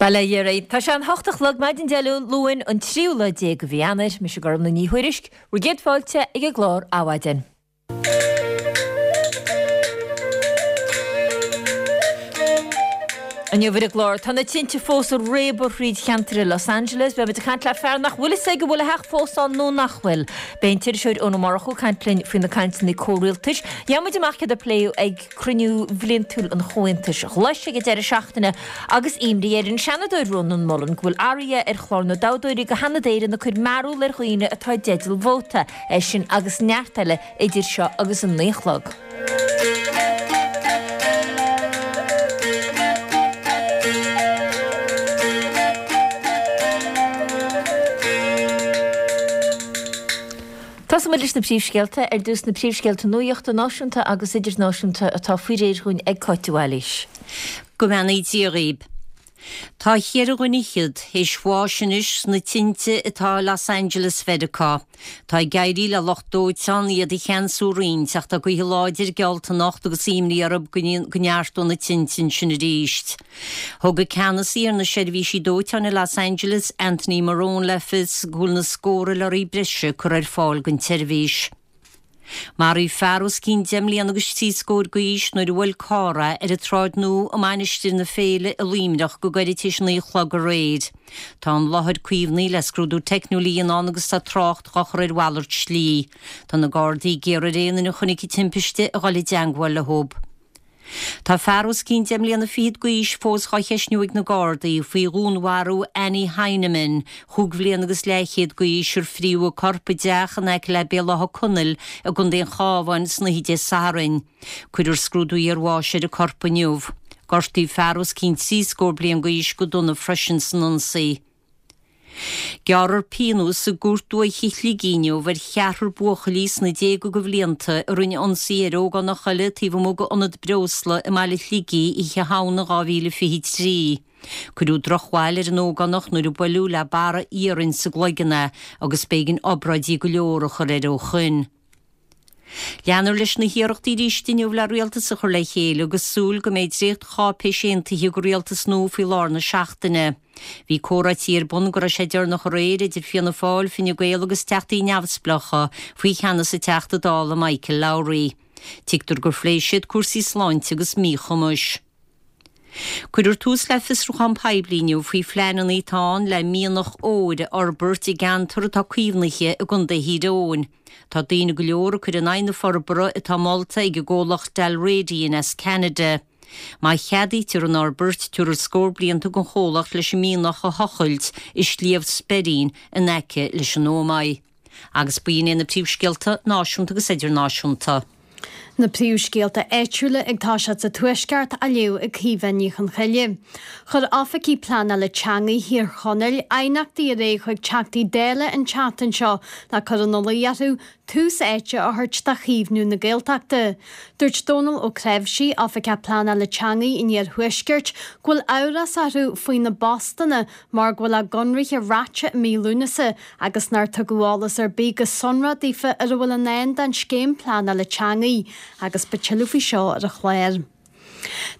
Bail ó Dhia oraibh. Tá sé an hocht a chlog maidin Dé Luain, an tríú lá déag de mhí Eanáir. Mise Gormlaith Ní Thuairisg, bhur gcéad fáilte ag an gclár Adhmhaidin. Inniu ar an gclár, tá na tinte fós ag réabadh thríd cheantar i Los Angeles. Beimid ag caint le fear nach bhfuil fhios aige an bhfuil a theach fós ann nó nach bhfuil. Beidh an t-iriseoir Eoin Ó Murchú ag caint linn faoi na cainteanna comhrialtais. Gheobhaidh muid amach céard a pléadh ag cruinniú bhliantúil an Chomhaontais Ghlais ag an deireadh seachtaine agus imní ar an Seanadóir Rónán Mullen go bhfuil athruithe ar chlár na dtoghthóirí go Sheanad Éireann ag cur mearbhall ar dhaoine atá i dteideal vóta. É sin agus neart eile idir seo agus an 9 a chlog. Tosóidh muid leis na príomhscéalta. Ar dtús na príomhscéalta nuachta náisiúnta agus idirnáisiúnta atá faoi réir dhúinn ag Cáit de Bhailís. Go mbeannaí Dia dhaoib. Tá cheithre dhuine fhichead théis bháis anois sna tinte atá i Los Angeles Mheiriceá. Tá ag éirí le lucht dóiteáin iad a cheansú roinnt ach tá gaotha láidir geallta anocht agus imní orthu go neartóidh na tinte ansin arís. Thug an ceannasaí ar na seirbhísí dóiteáin i Los Angeles, Anthony Marrone le fios go bhfuil na scórtha lorraí breise curtha ar fáil don tseirbhís. Maraíodh fear os cionn deich mbliana agus trí scór d'aois nuair a bhuail carr é ar an tSráid Nua i Mainistir na Féile i Luimneach go gairid tar éis a naoi a chlog aréir. Tá an láthair caomhnaithe le scrúdú teicniúil a dhéanamh ann agus tá trácht dhá chur ar mhalairt slí. Tá na Gardaí ag iarraidh ar aon duine a chonaic an timpiste a dhul i dteangmháil leo. Tá fear os cionn deich mbliana fichead d'aois fós dhá cheistniú ag na Gardaí faoi dhúnmharú Annie Heineman, chúig bhliana agus leathchéad d'aois, ar fríodh a corp i dteach in aice le Béal Átha Conaill i gContae an Chabháin san oíche Dé Sathairn. Cuirfear scrúdú iarbháis ar an corp inniu. Gortaíodh fear os cionn trí scór bliain d'aois go dona freisin san ionsaí. Gearrfar pionós i gCúirt Dúiche Shligigh inniu ar cheathrar buachaillí sna déaga de bhlianta a rinne ionsaí ar ógánach eile taobh amuigh d'ionad breosla i mbaile Shligigh oíche Shamhna 2023. Cuireadh drochbhail ar an ógánach nuair a buaileadh le barra iarainn sa gcloigeann é agus b'éigean obráidí go leor a chur air ó shoin. Leanfar leis na hiarrachtaí arís inniu le rialtas a chur le chéile agus súil go mbeidh dréacht-cháipéis aontaithe do rialtas nua faoi lár na seachtaine. Bhí comhráití ar bun go raibh sé deireanach aréir idir Fianna Fáil, Fine Gael agus Teachtaí Neamhspleácha faoi cheannas an Teachta Dála Michael Lowry. Tuigtear gur phléigh siad cúrsaí sláinte agus míchumais. Cuirfear tús le fiosrúchán poiblí inniu faoi phleananna atá ann le mianach óir a fhorbairt i gceantar atá caomhnaithe i gContae Thír Eoghain. Tá daoine go leor ag cur in aghaidh na forbartha atá molta ag an gcomhlacht Dalradian as Ceanada. Má cheadaítear an fhorbairt, tabharfar scór blianta don chomhlacht leis an mianach a thochailt i Sliabh Speirín in aice leis an Ómaigh. Agus b'in iad na príomhscéalta náisiúnta agus idirnáisiúnta. Na príomhscéalta áitiúla ag toiseacht sa Tuaisceart á léamh ag Caoimhe Ní Chonchoille. Chuir Oifigigh Pleanála Teanga Thír Chonaill aighneachtaí ar aghaidh chuig Teachtaí Dála an tseachtain seo le cur ina luí orthu tús áite a thabhairt do chaomhnú na Gaeltachta. Dúirt Dónal Ó Creabhsí, Oifigeach Pleanála Teanga an Iarthuaiscirt, go bhfuil amhras orthu faoi na bpostanna mar go bhfuil a gconraithe reaite i mí Lúnasa agus nár tugadh eolas ar bith go sonrath daofa ar a bhfuil i ndán don scéim pleanála teanga agus beidh tuilleadh faoi seo ar an chlár.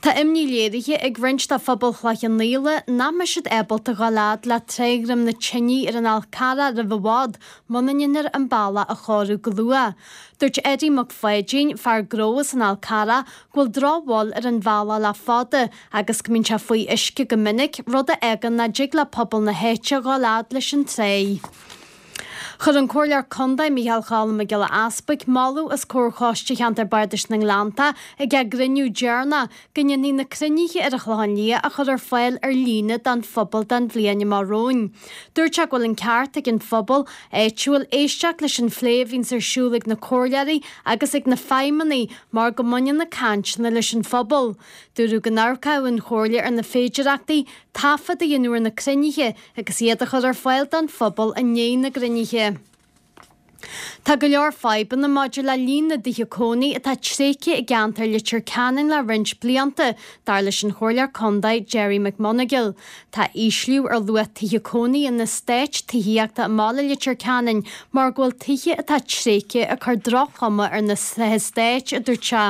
Tá imní léirithe ag roinnt de phobal Chloich Cheann Fhaola nach mbeidh siad ábalta dhul fhad le Trá Dhroim na Tine ar an Fhál Carrach roimh i bhfad muna ndéanfar an bealach a chóiriú go luath. Dúirt Eddie Mac Pháidín, fear gnó as an Fhál Carrach, go bhfuil drochbhail ar an bhealach le fada agus go mbíonn sé faoi uisce go minic, rud a fhágann nach dtig le pobal na háite dhul fhad leis an tráigh. Chuir an Comhairleoir Contae Micheál Choilm Mac Giolla Easbuig moladh os comhair Choiste Cheantar Bardais na nGleanntach ag a gcruinniú deireanach go ndéanfaí na cruinnithe ar an Chlochán Liath a chur ar fáil ar líne don phobal don bhliain amach romhainn. Dúirt sé go bhfuil an ceart ag an phobal áitiúil éisteacht leis an phlé a bhíonns ar siúl ag na comhairleoirí agus ag na feidhmeannaigh mar go mbaineann na cainteanna leis an phobal. Dúradh go n-amharcfadh an Chomhairle ar na féidearthachtaí taifead a dhéanamh ar na cruinnithe agus iad a chur ar fáil don phobal i ndiaidh na gcruinnithe. Tá go leor fadhbanna maidir le líon na dtithe cónaí atá tréigthe i gceantar Leitir Ceanainn le roinnt blianta, dar leis an Chomhairleoir Contae Gerry McMonagle. Tá ísliú ar luach tithe cónaí in eastáit tithíochta i mbaile Leitir Ceanainn mar go bhfuil tithe atá tréigthe ag cur droch-chuma ar na heastáit, a dúirt sé.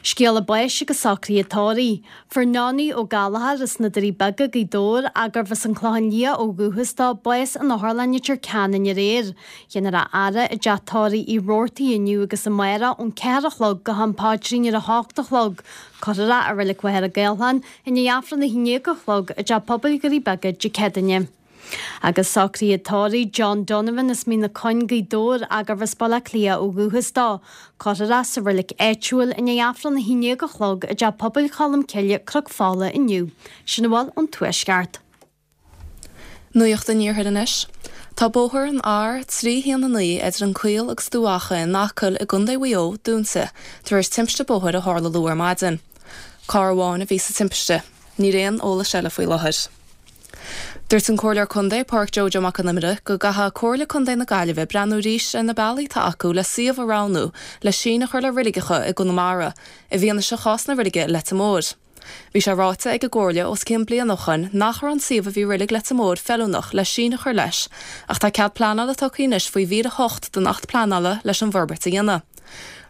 Scéala báis agus socruithe tórraimh. Fuair Nonie Ó Gallchóir as na Doirí Beaga, Gaoth Dobhair, ach gurbh as an Chlochán Liath ó dhúchas dó, bás in Otharlann Leitir Ceanainn aréir. Déanfar a fhaire i dteach tórraimh Uí Robhartaigh inniu agus amárach ón 4 a chlog go ham paidrín ar a hocht a chlog. Cuirfear é i Reilig Mhachaire Gathlán i ndiaidh Aifreann 11 a chlog i dTeach Pobail Dhoirí Beaga Dé Céadaoine. Agus socruithe tórraimh John Donovan as Mín na Coinn, Gaoth Dobhair, ach gurbh as Baile Átha Cliath ó dhúchas dó. Cuirfear é sa reilig áitiúil i ndiaidh Aifreann 11 a chlog i dTeach Pobail Cholm Cille, Cnoc Fola inniu. Sin a bhfuil ón Tuaisceart. Nuacht an Iarthair anois. Tá bóthar an R319 idir an Caol agus Dumha Acha in Acaill i gContae Mhaigh Eo dúnta tar éis timpiste bóthair a tharla luath ar maidin. Carr amháin a bhí sa timpiste. Níl aon eolas eile faoi láthair. Dúirt an Comhairleoir Contae, Pádraic Joe Joe Mac Con Iomaire, go gcaithfidh Comhairle Contae na Gaillimhe breathnú arís ar na bealaí atá acu le suíomh a roghnú le síneadh a chur le reiligeacha i gConamara, i bhfianaise chás na reilige i Leitir Móir. Bhí sé ráite ag an gComhairle os cionn bliain ó shoin nach raibh an suíomh a bhí reilig Leitir Móir feiliúnach le síneadh a chur leis ach tá cead pleanála tugtha anois faoi mhír 8 den Acht Pleanála leis an bhforbairt a dhéanamh.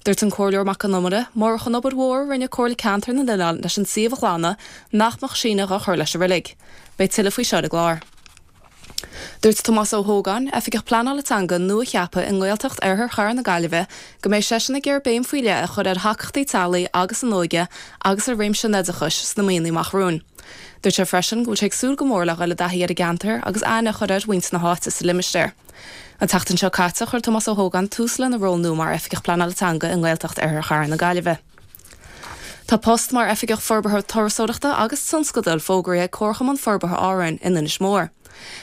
Dúirt an Comhairleoir Mac Con Iomaire, murach an obair mhór a rinne Comhairle Ceantair na nOileán leis an suíomh a ghlanadh, nach mbeadh síneadh á chur leis an reilig. Beidh tuilleadh faoi seo ar an gclár. Dúirt Tomás Ó hÓgáin, Oifigeach Pleanála Teanga nua-cheaptha i nGaeltacht Oirthear Chathair na Gaillimhe, go mbeidh seisean ag iarraidh béim faoi leith a chur ar thacaíochtaí teaghlaigh agus an óige agus ar réimse an oideachais sna míonna amach romhainn. Dúirt sé freisin go bhfuil sé ag súil go mór le dhul i dtaithí ar an gceantar agus aithne a chur ar mhuintir na háite sa limistéar. An tseachtain seo caite chuir Tomás Ó hÓgáin tús lena ról nua mar Oifigeach Pleanála Teanga i nGaeltacht Oirthear Chathair na Gaillimhe. Tá post mar Oifigeach Forbartha Turasóireachta agus Tionscadail fógraithe ag Comharchumann Forbartha Árann in Inis Mór.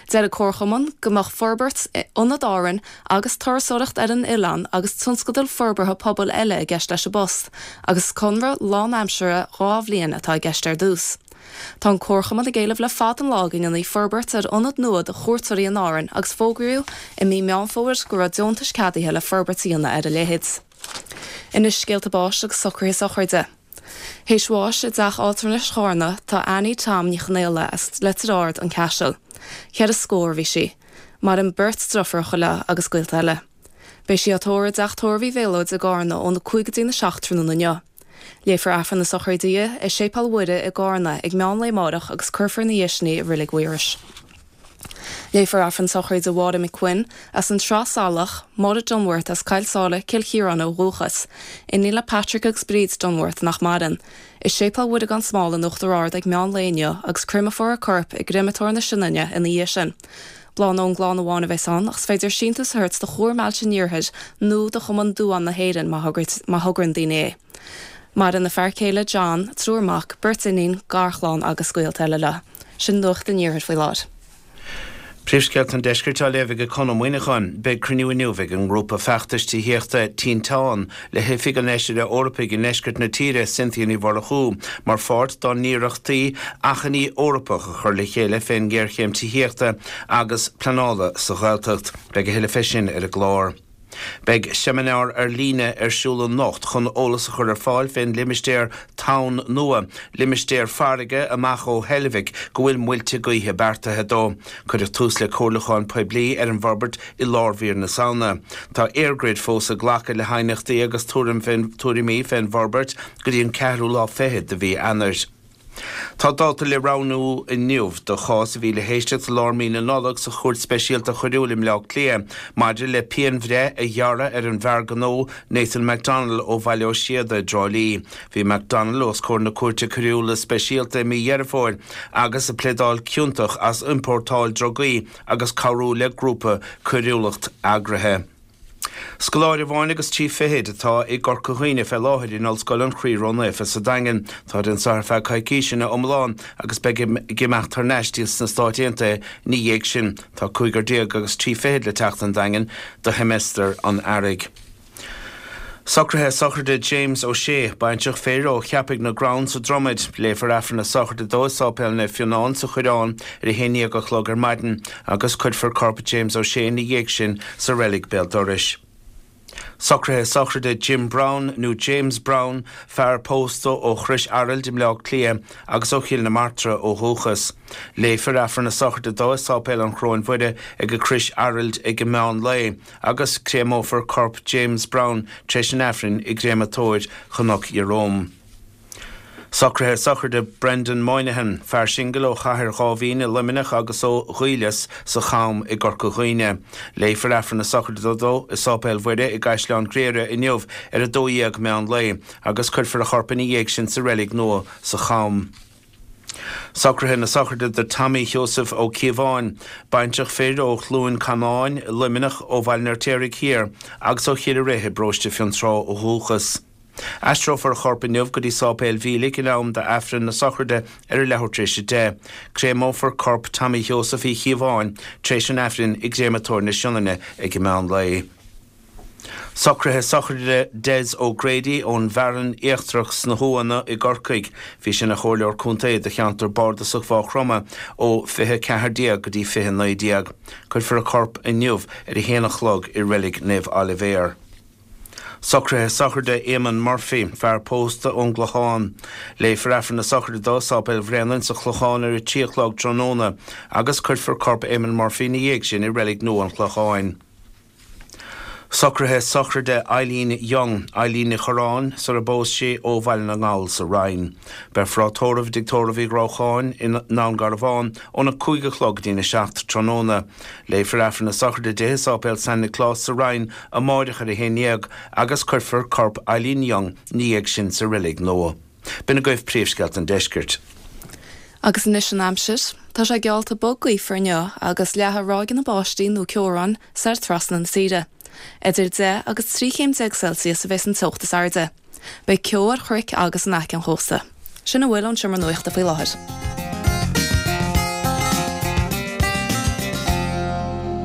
Deir an Comharchumann go mbeadh forbairt Ionad Árann agus turasóireacht ar an oileán agus tionscadail forbartha pobail eile i gceist leis an bpost agus is conradh lánaimseartha 2 bhliain atá i gceist ar dtús. Tá an Comharchumann ag éileamh le fada an lá go ndéanfaí forbairt ar ionad nua do chuairteoirí in Árainn agus fógraíodh i mí Meán Fómhair go raibh deontais ceadaithe le forbairt a dhéanamh ar a leithéid. Anois scéalta báis agus socruithe sochraide. Théis bháis i dteach altranais Chárna tá Annie Tom Ní Chonaola as Leitir Ard, An Caiseal. Cheithre scór a bhí sí. Maireann beirt deirfiúracha léi agus gaolta eile. Beidh sí á tórramh i dteach tórraimh Uí Mhéalóid i gCárna óna 5 go dtína 7 tráthnóna inniu. Léifear Aifreann na sochraide di i Séipéal Mhuire i gCárna ag meán lae amárach agus cuirfear ina dhiaidh sin í i Reilig Mhaírois. Léifear Aifreann sochraide Mháire McQuinn as an tSrath Salach, Máire Dunworth as Coill Sáile, Cill Chiaráin ó dhúchas, iníon le Patrick agus Bríd Dunworth nach maireann, i Séipéal Mhuire gan Smál in Uachtar Ard ag meán lae inniu agus créamófar a corp i gcréamatóir na Sionainne ina dhiaidh sin. Bláthanna ón gclann amháin a bheas ann ach is féidir síntiús a thabhairt do Chomhar Mheáilte an Iarthair nó do Chumann Duán na hÉireann má thograíonn daoine é. Maireann a fear céile John, triúr mac, beirt iníon, garchlann agus gaolta eile leo. Sin nuacht an iarthair faoi láthair. Príomhscéalta an Deiscirt á léamh ag Conn Ó Muíneacháin. Beidh cruinniú inniu ag an ngrúpa feachtais tithíochta Tinteán le hOifig an Fheisire Eorpaigh i ndeisceart na tíre, Cynthia Ní Mhurchú, mar pháirt dá n-iarrachtaí achainí Eorpach a chur le chéile fén ngéarchéim tithíochta agus pleanála sa Ghaeltacht. Beidh a thuilleadh fé sin ar an gclár. Beidh seimineár ar líne ar siúl anocht chun eolas a chur ar fáil fén limistéar Tonn Nua, limistéar farraige amach ó Heilbhic go bhfuil muilte gaoithe beartaithe dó. Cuireadh tús le comhairliúchán poiblí ar an bhforbairt i lár mhír na Samhna. Tá EirGrid fós ag glacadh le haighneachtaí agus tuairimí fén bhforbairt go dtí an ceathrú lá fichead de mhí Eanáir. Tá dáta le roghnú inniu do chás a bhí le héisteacht i lár mí na Nollag sa Chúirt Speisialta Choiriúil i mBleá Cliath maidir le pianbhreith a ghearradh ar an bhfear gnó Nathan McDonnell ó Bhaile Ó Síoda i dTrá Lí. Bhí McDonnell os comhair na Cúirte Coiriúla Speisialta i mí Dheireadh Fómhair agus ag pléadáil ciontach as iompórtáil drugaí agus cabhrú le grúpa coiriúlacht eagraithe. Scoláire amháin agus trí fichid atá i gCorca Dhuibhne fé láthair in Ollscoil an Chroí Ró-Naofa sa Daingean. Táid anso ar feadh coicíse ina iomlán agus beidh ag imeacht thar n-ais sna Stáit Aontaithe ina dhiaidh sin. Tá 15 agus 30 le teacht an Daingean do sheimeastar an Earraigh. Socruithe sochraide James O'Shea, baintreach fir ó Cheapaigh na gCrann sa Dromaid. Léifear Aifreann na sochraide dó i Sáipéal Naomh Fionán sa Choireán ar a 11 a chlog ar maidin agus cuirfear corp James O'Shea ina dhiaidh sin sa reilig béal dorais. Socruithe sochraide Jim Browne nó James Browne, fear pósta ó Chrois Araild i mBleá Cliath agus ó Chill na Martra ó dhúchas. Léifear Aifreann na sochraide dó i Sáipéal an Chróin Mhuire ag Crois Araild ag meán lae agus créamófar corp James Browne tar éis an Aifrinn i gcréamatóir Chnoc Ieróm. Socruithe sochraide Brendan Moynihan, fear singil ó Chathair Dháibhín i Luimneach agus ó Dhaoileas sa Cham i gCorca Dhuibhne. Léifear Aifreann na sochraide dó i Sáipéal Mhuire i gCaisleán Ghriaire inniu ar 12 meán lae agus cuirfear a chorp ina dhiaidh sin sa reilig nua sa Cham. Socruithe na sochraide do Tommy Sheosaimh Ó Cíobháin, baintreach fir ó Chluain Canáin, Luimneach, ó Bhaile an Fheirtéaraigh Thiar agus ó Chill Rith i bparóiste Fionntrá ó dhúchas. Aistreofar a chorp inniu go dtí Sáipéal Mhílic in am d'Aifreann na sochraide ar a leathuair tar éis 10. Créamófar corp Tommy Sheosaimh Uí Chíobháin tar éis an Aifrinn i gCréamatóir na Sionainne ag an meán lae. Socruithe sochraide Des O'Grady ón bhFearann Íochtarach sna hUamhanna i gCorcaigh. Bhí sé ina chomhairleoir contae do cheantar bardasach Mhaigh Chromtha ó 2014 go dtí 2019. Cuirfear a chorp inniu ar a haon a chlog i Reilig Naomh Oilibhéar. Socruithe sochraide Éamonn Murphy, fear pósta ón gClochán. Léifear Aifreann na sochraide dó i Sáipéal Bhréanainn sa Chlochán ar a 3 a chlog tráthnóna agus cuirfear corp Éamonn Murphy ina dhiaidh sin i Reilig Nua an Chlocháin. Socruithe sochraide Eileen Young, Eileen Ní Chorráin, sar a bpós sí ó Bhaile na nGall sa Rinn. Beifear á tórramh i dTigh Tórraimh Uí Ghrócháin i nDún Garbhán óna 5 a chlog go dtína 7 tráthnóna. Léifear Aifreann na sochraide di i Sáipéal San Nioclás sa Rinn amáireach ar a 11 agus cuirfear corp Eileen Young ina dhiaidh sin sa reilig nua. B'in agaibh príomhscéalta an deiscirt. Agus anois an aimsir. Tá sé geallta bog gaofar inniu agus leathfaidh ráigeanna báistí nó ceobhráin soir trasna na tíre. Idir 10 agus 13 chéim Celsius a bheas an teocht is airde. Beidh ceo ar chnoic agus in aice an chósta. Sin a bhfuil ón Seomra Nuachta faoi láthair.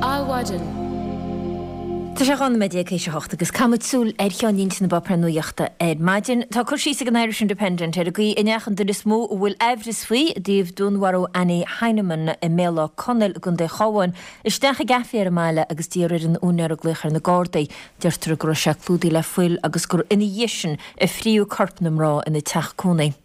Adhmhaidin. Tá sé 12 nóiméad théis a hocht agus caithfimid súil ar cheannlínte na bpáipéar nuachta ar maidin. Tá cur síos ag an Irish Independent ar an gcaoi a ndeachaigh an duine is mó a bhfuil aimhreas faoi i dtaobh dúnmharú Annie Heinemann i mBéal Átha Conaill i gContae an Chabháin isteach i gcaife ar an mbaile agus d'iarr ar an úinéir glaoch ar na Gardaí. Deirtear go raibh sé clúdaithe le fuil agus gur ina dhiaidh sin a fríodh corp na mná ina teach cónaí.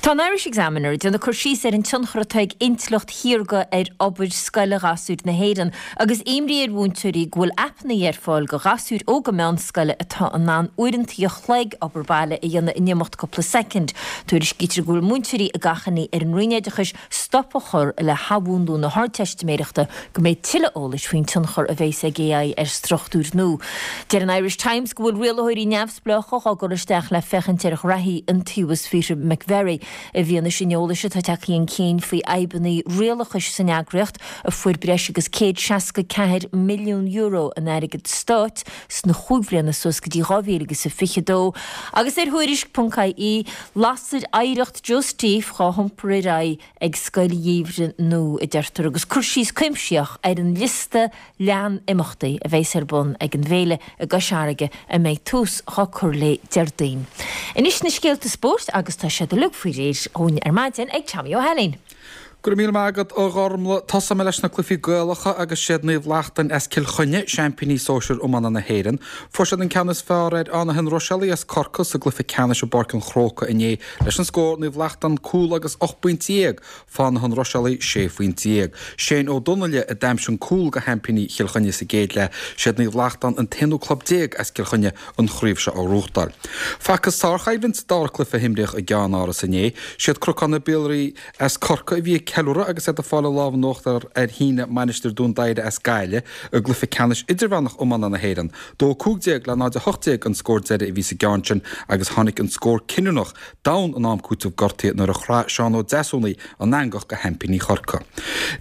Tá an Irish Examiner ag déanamh cur síos ar an tionchar atá ag intleacht shaorga ar obair scoile ghasúir na hÉireann agus imní ar mhúinteoirí go bhfuil aipeanna ar fáil do ghasúir óga meánscoile atá in ann uaireanta an chloig obair baile a dhéanamh in imeacht cúpla soicind. Tuairiscítear go bhfuil múinteoirí ag achainí ar an Roinn Oideachais stop a chur le hathmhúnlú na hArdteistiméireachta go mbeidh tuilleadh eolais faoin tionchar a bheas ag AI ar struchtúir nua. Deir an Irish Times go bhfuil rialaitheoirí neamhspleácha á gcur isteach le féachaint ar ghraithí Iontaobhas Peter McVerry i bhfianaise an eolais atá tagtha chun cinn faoi fhadhbanna rialachais san eagraíocht a fuair breis agus €164 milliún in airgead stáit sna chúig bhliana suas go dtí 2022 agus ar Thuairisc.ie Lasair oidhreacht Joe Steve dhá hiompar ar aghaidh ag Scoil Gheimhridh nua, a deirtear, agus cur síos cuimsitheach ar an liosta leathan imeachtaí a bheas ar bun ag an bhféile i gCois Fharraige a mbeidh tús dhá cur léi Déardaoin. Anois na scéalta spóirt agus tá siad uilig faoi réir dhúinn ar maidin ag Tommy Ó hAilín. Go raibh míle maith agat, a Ghormlaith. Tosóidh mé leis na cluichí Gaelacha agus siad Naomh Lachtain as Cill Chainnigh, seaimpíní sóisir iomána na hÉireann. Fuair siad an ceann is fearr ar Áth na hIonraisealaigh as Corcaigh sa gcluiche ceannais i bPáirc an Chrócaigh inné leis an scór Naomh Lachtain cúl agus 18 bpointe, Fáth na hIonraisealaigh 16 phointe. Shane Ó Donnaile a d'aimsigh an cúl do sheaimpíní Chill Chainnigh sa gcéad leath. Siad Naomh Lachtain an t-aonú club as Cill Chainnigh an chraobh seo a ghnóthachtáil. Facthas sárchoimhlint sa dara cluiche a himríodh i gceannáras inné. Siad Cnocán na Biollaí As Corcaigh a bhí ag ceiliúradh agus iad ag fáil an lámh in uachtar ar Shíneadh Mainistir Dún Doighre as Gaillimh i gcluiche ceannais idirmheánach iomána na hÉireann. 2-15 le 0-18 an scór deiridh a bhí sa gceann sin agus tháinig an scór cinniúnach d'am in am cúitimh gortaithe nuair a chraith Seán Ó Deasúnaigh an eangach do sheaimpíní Chorcaí.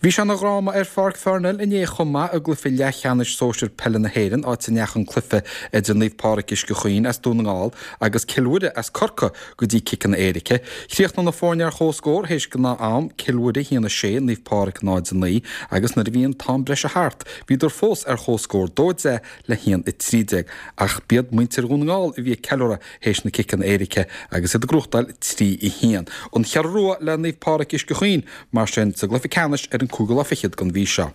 Bhí sé ina dhráma ar Pháirc Pharnell inné chomh maith i gcluiche leathcheannais sóisir peile na hÉireann áit a ndeachaigh an cluiche idir Naomh Pádraig Uisce Chaoin as Dún na nGall agus Cill Mhuire as Corcaigh go dtí ciceanna éirice. Chríochnaigh na foirne ar comhscór théis gnáth-am, Cill Mhuire 1-6, Naomh Pádraig 0-9, agus nuair a bhí an t-am breise thart, bhíodar fós ar comhscór, 2-10 le 1-13. Ach b'iad muintir Dhún na nGall a bhí ag ceiliúradh théis na ciceanna éirice agus iad ag gnóthachtáil 3-1. An Cheathrú Rua le Naomh Pádraig Uisce Chaoin, mar sin, sa gcluiche ceannais ar an cúigiú lá fichead den mhí seo.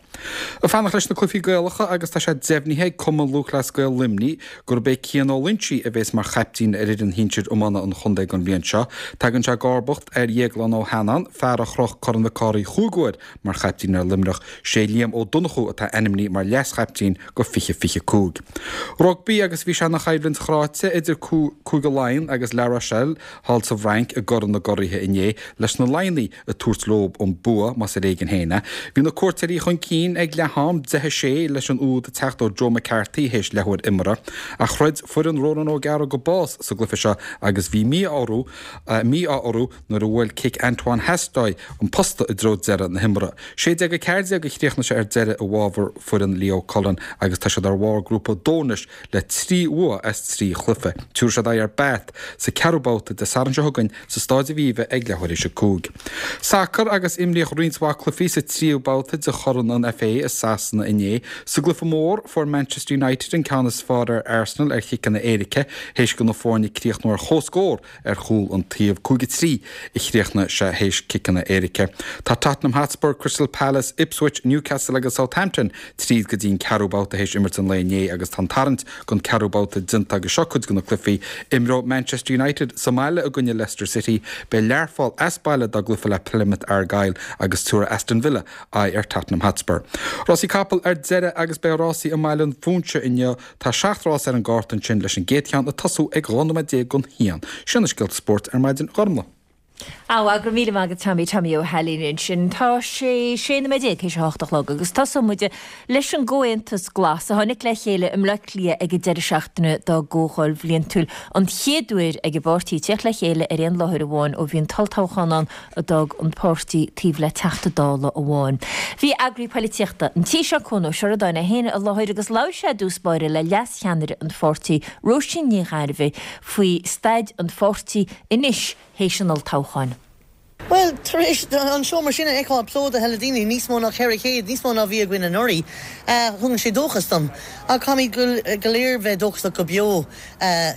Ag fanacht leis na cluichí Gaelacha agus tá sé deimhnithe ag Cumann Lúthchleas Gael Luimnigh gurb é Cian Ó Loingsigh a bhéas mar chaiptín ar fhoireann shinsir iomána an chontae don bhliain seo. Tagann sé i gcomharbacht ar Dhéaglán Ó hEanáin, fear a chroch Corn Mhic. Mac Cárthaigh chúig uair mar chaiptín ar Luimneach. Sé Liam Ó Donnchú atá ainmnithe mar leas-chaiptín go 2025. Rugbaí agus bhí sé ina choimhlint chráite idir Cúige Laighean agus La Rochelle thall sa bhFrainc i gCorn na gCuraithe inné leis na Laighnigh ag tabhairt leo an bua, más ar éigean féin é. Bhí na cuairteoirí chun cinn ag leath-am, 10 6, leis an úd ag teacht ó Joe McCarthy théis leathuair imeartha. Ach throid foireann Ronan O'Gara go bás sa gcluiche seo agus bhí mí-ádh mí-ádh orthu nuair a bhuail cic Antoine Hastoy an posta i dtreo deireadh na himeartha. 16-14 a chríochnaigh sé ar deireadh i bhfabhar foireann Leo Cullen agus tá siad ar bharr Grúpa 2 anois le 3 bhua as 3 chluiche. Tabharfaidh siad aghaidh ar Bath sa ceathrú babhta Dé Sathairn seo chugainn sa Stáid Aviva ag leathuair théis a 5. Sacar agus imríodh roinnt mhaith cluichí sa tríú babhta de Chorn an FA i Sasana inné. Sa gcluiche mór, fuair Manchester United an ceann is fearr ar Arsenal ar chiceanna éirice théis do na foirne críochnú ar comhscór ar chúl an taobh. 5-3 a chríochnaigh sé théis ciceanna éirice. Tá Tottenham Hotspur, Crystal Palace, Ipswich, Newcastle agus Southampton tríd go dtí an ceathrú babhta théis imirt an lae inné agus tá an tarraingt don ceathrú babhta déanta agus seo cuid de na cluichí. Imreoidh Manchester United sa mbaile i gcoinne Leicester City, beidh Learpholl as baile dá gcluiche le Plymouth Argyle agus tabharfaidh Aston Villa aghaidh ar Tottenham Hotspur. Rásaí capall ar deireadh agus beidh rásaí i mBaile an Phúinse inniu. Tá 7 rás ar an gcárta ansin leis an gcéad cheann ag tosú ag 12 nóiméad don haon. Sin na scéalta spóirt ar maidin, a Ghormlaith. Á, go raibh míle maith agat Tommy, Tommy Ó hAilín ansin. Tá sé 16 nóiméad théis a hocht a chlog agus tosóidh muid leis an gComhaontas Glas a tháinig le chéile i mBleá Cliath ag an deireadh seachtaine dá gcomhdháil bhliantúil, an chéad uair ag an bpáirtí tíocht le chéile ar aon láthair amháin ó bhí an t-olltoghchán ann a d'fhág an páirtí taobh le Teachta Dála amháin. Bhí eagraí poilitíochta an tí seo, Cuan Ó Seireadáin é féin i láthair agus labhair sé i dtús báire le leas-cheannaire an pháirtí, Róisín Ní Ghairbhith, faoi staid an pháirtí anois théis an olltoghcháin. Bhuel, tar éis an seomra sin a fheiceáil plódaithe le daoine, níos mó ná 400, níos mó ná bhí againn anuraidh, thugann sé dóchas dom. Ach caithfimid go léir bheith dóchasach go beo,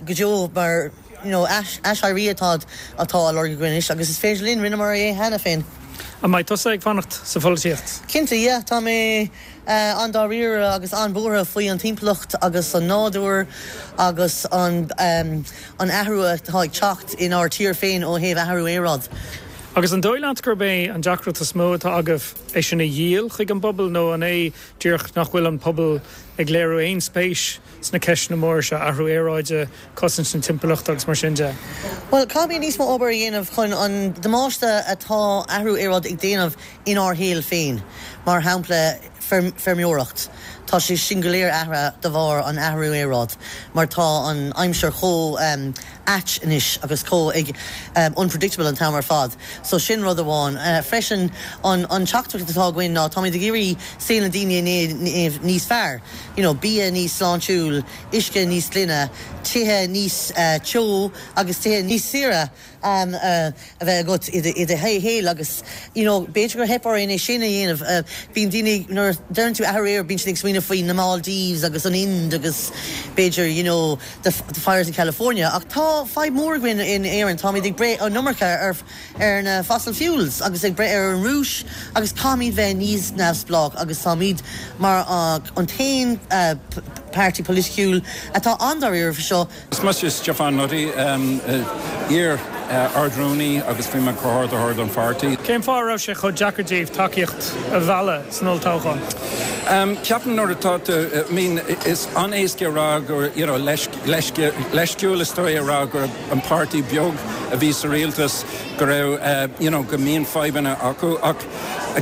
go deo mar, you know, aiséirí atá atá á lorg againn anois agus is féidir linn, rinneamar é cheana féin. An mbeidh tusa ag fanacht sa pholaitíocht? Cinnte, yeah. Tá mé an-dáiríre agus an-bhuartha faoi an timpeallacht agus an nádúr agus an an athrú atá ag teacht inár tír féin ó thaobh athrú aeráid. Agus an dóigh leat gurb é an deacracht is mó atá agaibh é sin a dhíol chuig an bpobal nó an é díreach nach bhfuil an pobal ag léiriú aon spéis sna ceisteanna móra seo, athrú aeráide, cosaint na timpeallachta agus mar sin de? Bhuel, caithfimid níos mó obair a dhéanamh chun an damáiste atá athrú aeráide ag déanamh inár shaol féin, mar shampla feirmeoireacht. Tá sé sin go léir athraithe de bharr an athrú aeráid mar tá an aimsir chomh ait anois agus chomh ag unpredictable an t-am ar fad. So sin rud amháin. Freisin an teachtaireacht atá againn ná táimid ag iarraidh saol na daoine a dhéanamh níos fearr, you know bia níos sláintiúil, uisce níos glaine, tithe níos teo agus tithe níos saoire a bheith agat i do shaol agus you know b'fhéidir gur theip orainn é sin a dhéanamh. Bíonn daoine, nuair a deireann tú athrú aeráide bíonn siad ag smaoineamh faoi na Maldives agus an Ind agus b'fhéidir you know the fires in California ach tá fadhb mór againn in Éirinn, táimid ag breith an iomarca ar ar na fossil fuels agus ag breith ar an Rúis agus caithfimid bheith níos neamhspleách agus táimid mar an t-aon páirtí polaitiúil atá an-dáiríre faoi seo. Is mise Stiofán Nutty, iar-Ard-Rúnaí agus bhí mé comhordaitheoir don pháirtí. Cén fáth a raibh sé chomh deacair daoibh tacaíocht a mhealladh san olltoghchán? Ceapaim nuair atá tú, I mean, is an-éasca a rá gur, you know, leisciúil is dóigh a rá gur an páirtí beag a bhí sa rialtas go raibh, you know, go mbíonn fadhbanna acu ach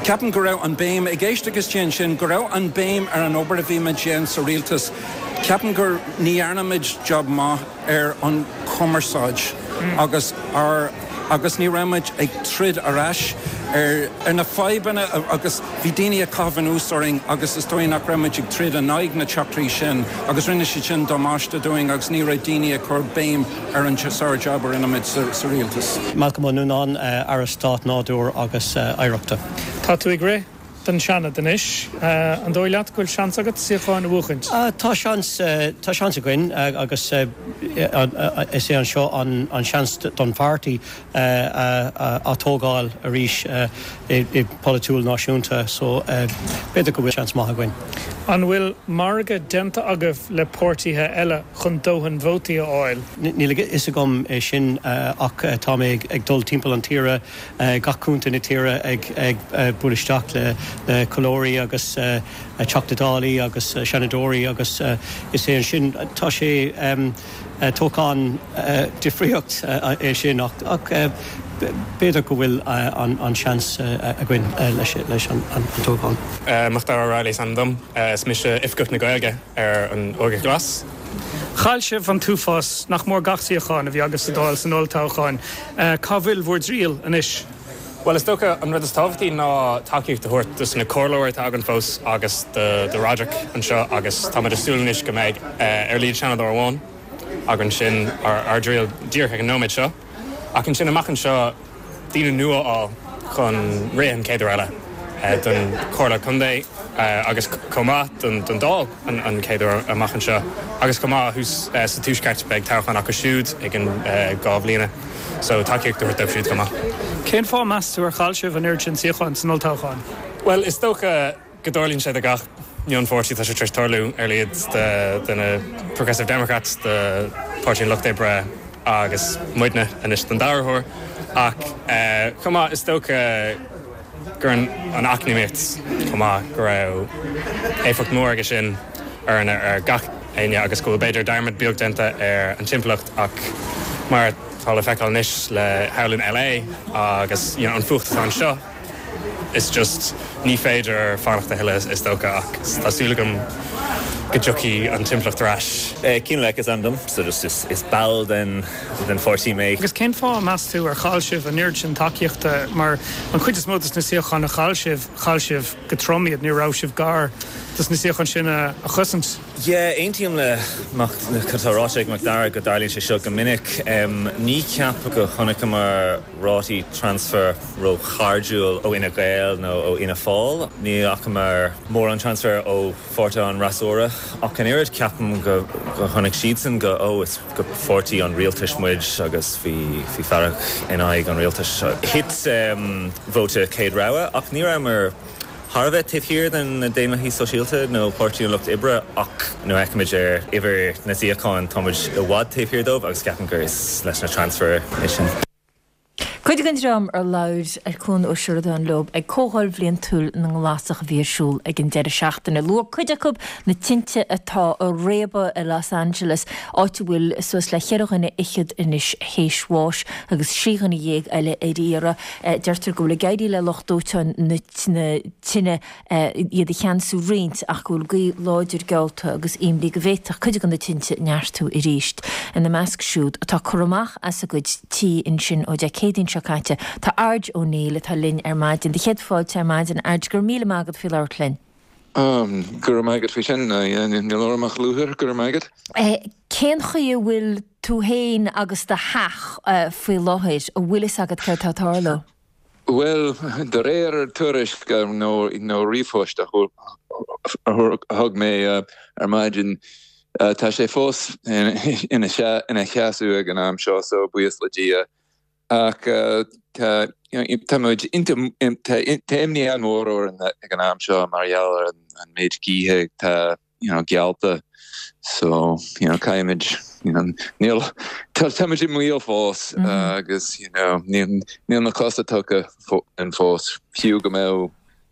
ceapaim go raibh an béim, ag éisteacht istigh ansin, go raibh an béim ar an obair a bhí muid déanamh sa rialtas. Ceapaim gur ní dhearna muid job maith ar an chumarsáid agus ar agus ní raibh muid ag troid ar ais ar ar na fadhbanna agus bhí daoine ag caitheamh anuas orainn agus is dóigh nach raibh muid ag troid in aghaidh na teachtairí sin agus rinne siad sin damáiste dúinn agus ní raibh daoine ag cur béim ar an sár-job a rinne muid sa rialtas. Malcolm Ó Nuanáin, Aire Stáit Nádúir agus Oidhreachta. Tá tú ag rith don Seanad anois. An dóigh leat go bhfuil seans agat suíochán a bhuachaint? Tá seans, tá seans againn agus is é anseo an seans don pháirtí a atógáil arís i polaitiúil náisiúnta so b'fhéidir go bhfuil seans maith againn. An bhfuil margadh déanta agaibh le páirtithe eile chun dóthain vótaí a fháil? Níl a fhios agam é sin ach tá mé ag dul timpeall an tíre, gach contae na tíre ag bualadh isteach le comhairleoirí agus Teachta Dálaí agus Seanadóirí agus is é ansin tá sé toghchán difríocht é sin ach b'fhéidir go bhfuil an seans againn leis an toghchán. Macdara O'Reilly is ainm dom. Is mise Oifigeach na Gaeilge ar an Óige Ghlas. Chaill sibh an t-uafás, nach mór gach suíochán a bhí agaibh sa Dáil san olltoghchán. Cá bhfuil bhur dtriall anois? Bhuel, is dócha an rud is tábhachtaí ná tacaíocht a thabhairt dos na comhairleoirí atá againn fós agus do Roderick anseo agus táimid ag súil anois go mbeidh ar a laghad Seanadóir amháin againn sin ár dtriall díreach ag an nóiméad seo. Ach ansin amach anseo daoine nua a fháil chun rith an chéad uair eile don Chomhairle Contae agus chomh maith don Dáil an chéad uair amach anseo agus chomh maith thuas sa Tuaisceart beidh toghchán acu siúd i gceann 2 bhliana so tacaíocht a thabhairt dóibh siúd chomh maith. Cén fáth meas tú ar chaill sibh an oiread sin suíochán san olltoghchán? Bhuel is dócha go dtarlaíonn sé do gach mionpháirtí, tá sé tar éis tarlú ar a laghad do na Progressive Democrats, do Páirtí an Lucht Oibre agus muidne anois don dara huair ach chomh maith is dócha gur an eacnamaíocht chomh maith go raibh éifeacht mhór aige sin orainne ar gach éinne agus go bhfuil b'fhéidir dearmad beag déanta ar an timpeallacht ach mar atá le feiceáil anois le thall in LA agus you know an fuacht atá anseo It's just ní féidir fanacht a thuilleadh is dócha ach tá súil agam go dtiocfaidh an timpeallacht ar ais. Cian Leck is ainm dom, so just is is ball den den pháirtí mé. Agus cén fáth, meas tú, ar chaill sibh an oiread sin tacaíochta? Mar an chuid is mó dos na suíocháin a chaill sibh, chaill sibh go trom iad, ní raibh sibh gar dos na suíocháin sin a chosaint. Yeah, aontaím le Mac, tá ráite ag Macdara go dtarlaíonn sé seo go minic. Ní ceapaim go chonaiceamar rátaí transfer ró-chairdiúil ó Fhine Gael nó ó Fhianna Fáil. Ní fhacamar mórán transfer ó pháirtithe an fhreasúra ach an oiread. Ceapaim go chonaic siadsan go, ó, is go pháirtí an rialtais muid agus bhí fearg in aghaidh an rialtais. Thit vóta céad rogha ach ní rabhamar thar a bheith taobh thiar de na Daonlathaithe Sóisialta nó Páirtí an Lucht Oibre ach nuair a fheicimid ar uimhir na suíochán táimid i bhfad taobh thiar dóibh agus ceapaim gur is leis na transfer é sin. Cuid den dream ar labhair Cuan Ó Seireadáin leo ag Comhdháil Bhliantúil na nGlasach a bhí ar siúl ag an deireadh seachtaine. Luaigh cuid acu na tinte atá ag réabadh i Los Angeles, áit a bhfuil suas le cheithre dhuine fhichead anois théis bháis agus thrí dhuine dhéag eile ar iarraidh. Deirtear go bhfuil ag éirí le lucht dóiteáin na tine iad a cheansú roinnt ach go bhfuil gaoth láidir geallta agus imní go bhféadfadh cuid de na tinte neartú arís. Ina measc siúd atá curtha amach as a gcuid tí ansin ó Dé Céadaoin seo caite tá Ardge Ó Néill atá linn ar maidin. Do chéad fáilte ar maidin, Ardge, go raibh míle maith agat faoi labhairt linn. Go raibh maith agat faoi sin. Níl orm ach lúcháir, go raibh maith agat. Cén chaoi a bhfuil tú féin agus do theach faoi láthair? An bhfuil fhios agat céard tá ag tarlú? Bhuel, de réir tuairisc nó ríomhphost a thug mé ar maidin, tá sé fós ina sheasamh ag an am seo, so buíochas le Dia. Ach tá tá muid tá imní an-mhór orainn ag an am seo mar gheall ar an méid gaoithe atá you know, geallta. So, you know, caithfimid, you know, níl, tá, táimid i mbaol fós agus, you know, níl, níl na cosa tugtha dúinn fós, fiú go mbeadh,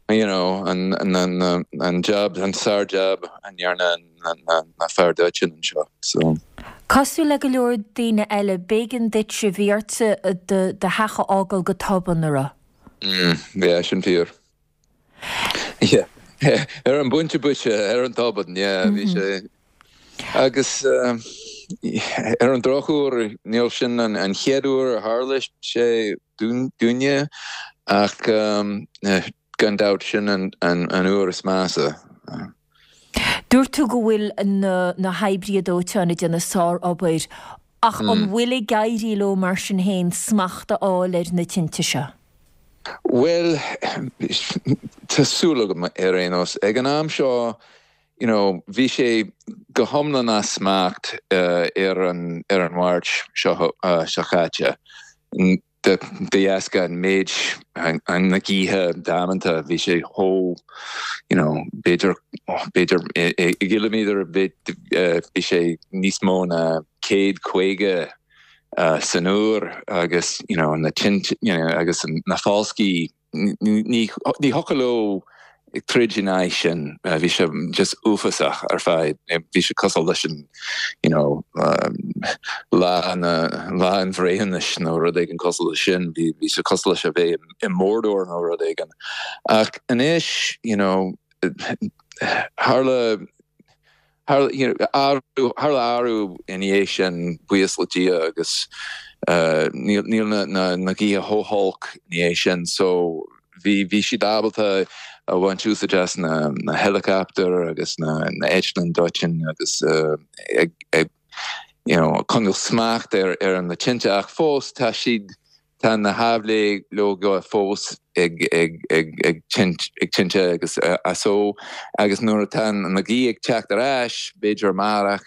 you know, an, an, an, an jab, an sár-jab a ndearna na, na fear dóiteáin anseo. So. Cosúil le go leor daoine eile, b'éigean duitse, bhí ortsa do, do theach a fhágáil go tobann, an raibh? Mm, yeah, sin fíor. Yeah. Ar an bpointe boise, ar an tobann, yeah, bhí sé. Agus ar an drochuair, níl sin an chéad uair a tharla sé dúinne, ach gan dabht sin an uair is measa. Dúirt tú go bhfuil na hoibrithe dóiteáin ag déanamh sár-obair, ach an bhfuil ag éirí leo mar sin féin smacht a fháil ar na tinte seo? Bhuel, tá súil agam ar aon nós. Ag an am seo, you know, bhí sé go hiomlán as smacht ar an ar an Mháirt seo seo caite. De dheasca an méid na gaoithe damanta, bhí sé chomh, you know, b'fhéidir, b'fhéidir i gciliméadar bhí sé níos mó ná 150 san uair agus, you know, na tinte, you know, agus na falscaí. Ní thiocfadh leo troid in aghaidh sin. Bhí sé just uafásach ar fad. Bhí sé cosúil leis an, you know, lá na, lá an bhreithiúnais nó rud éigin cosúil leis sin. Bhí sé cosúil leis a bheith i Mordor nó rud éigin. Ach anois, you know, tharla, Tharla athrú ina dhiaidh sin, buíochas le Dia, agus níl na gaotha chomh holc ina dhiaidh sin. So bhí siad ábalta a bhaint úsáid as na heileacaptair agus na eitleáin dóiteáin agus ag you know coinneáil smacht ar na tinte ach fós tá siad Tá na haibhleoga fós ag tinte agus so agus nuair atá na gaoth ag teacht ar ais, b'fhéidir amárach,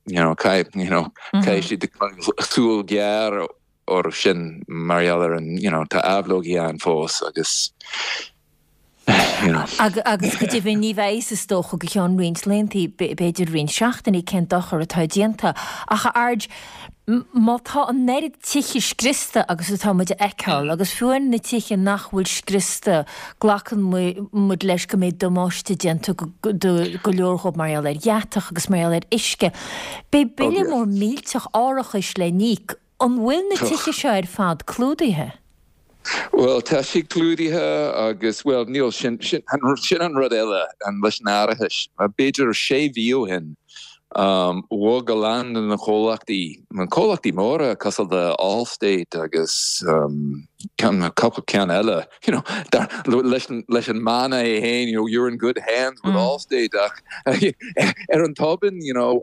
you know, you know, caithfidh siad súil ghéar orthu sin mar gheall ar an, you know, tá aibhleogaí ann fós agus. Agus go deimhin ní bheidh a fhios is dócha go ceann roinnt laethanta, b'fhéidir roinnt seachtainí, cén dochar atá déanta. Ach a Ard, má tá an oiread tithe scriosta agus atá muid a fheiceáil, agus fiú amháin na tithe nach bhfuil scriosta, glacann muid leis go mbeidh damáiste déanta do go leor dhóibh mar gheall ar dheatach agus mar gheall ar uisce. Beidh bille mór millteach árachais le n-íoc. An bhfuil na tithe seo ar fad clúdaithe? Bhuel, tá siad clúdaithe agus, bhuel, níl, sin, sin, sin an rud eile leis an árachas. B'fhéidir sé mhí ó shin, bhog a lán de na comhlachtaí, na comhlachtaí móra cosúil le Allstate agus ceann, cúpla ceann eile, you know, dar, leis an, leis an mana é féin, you know, you're in good hands with Allstate ach ar an tobann, you know,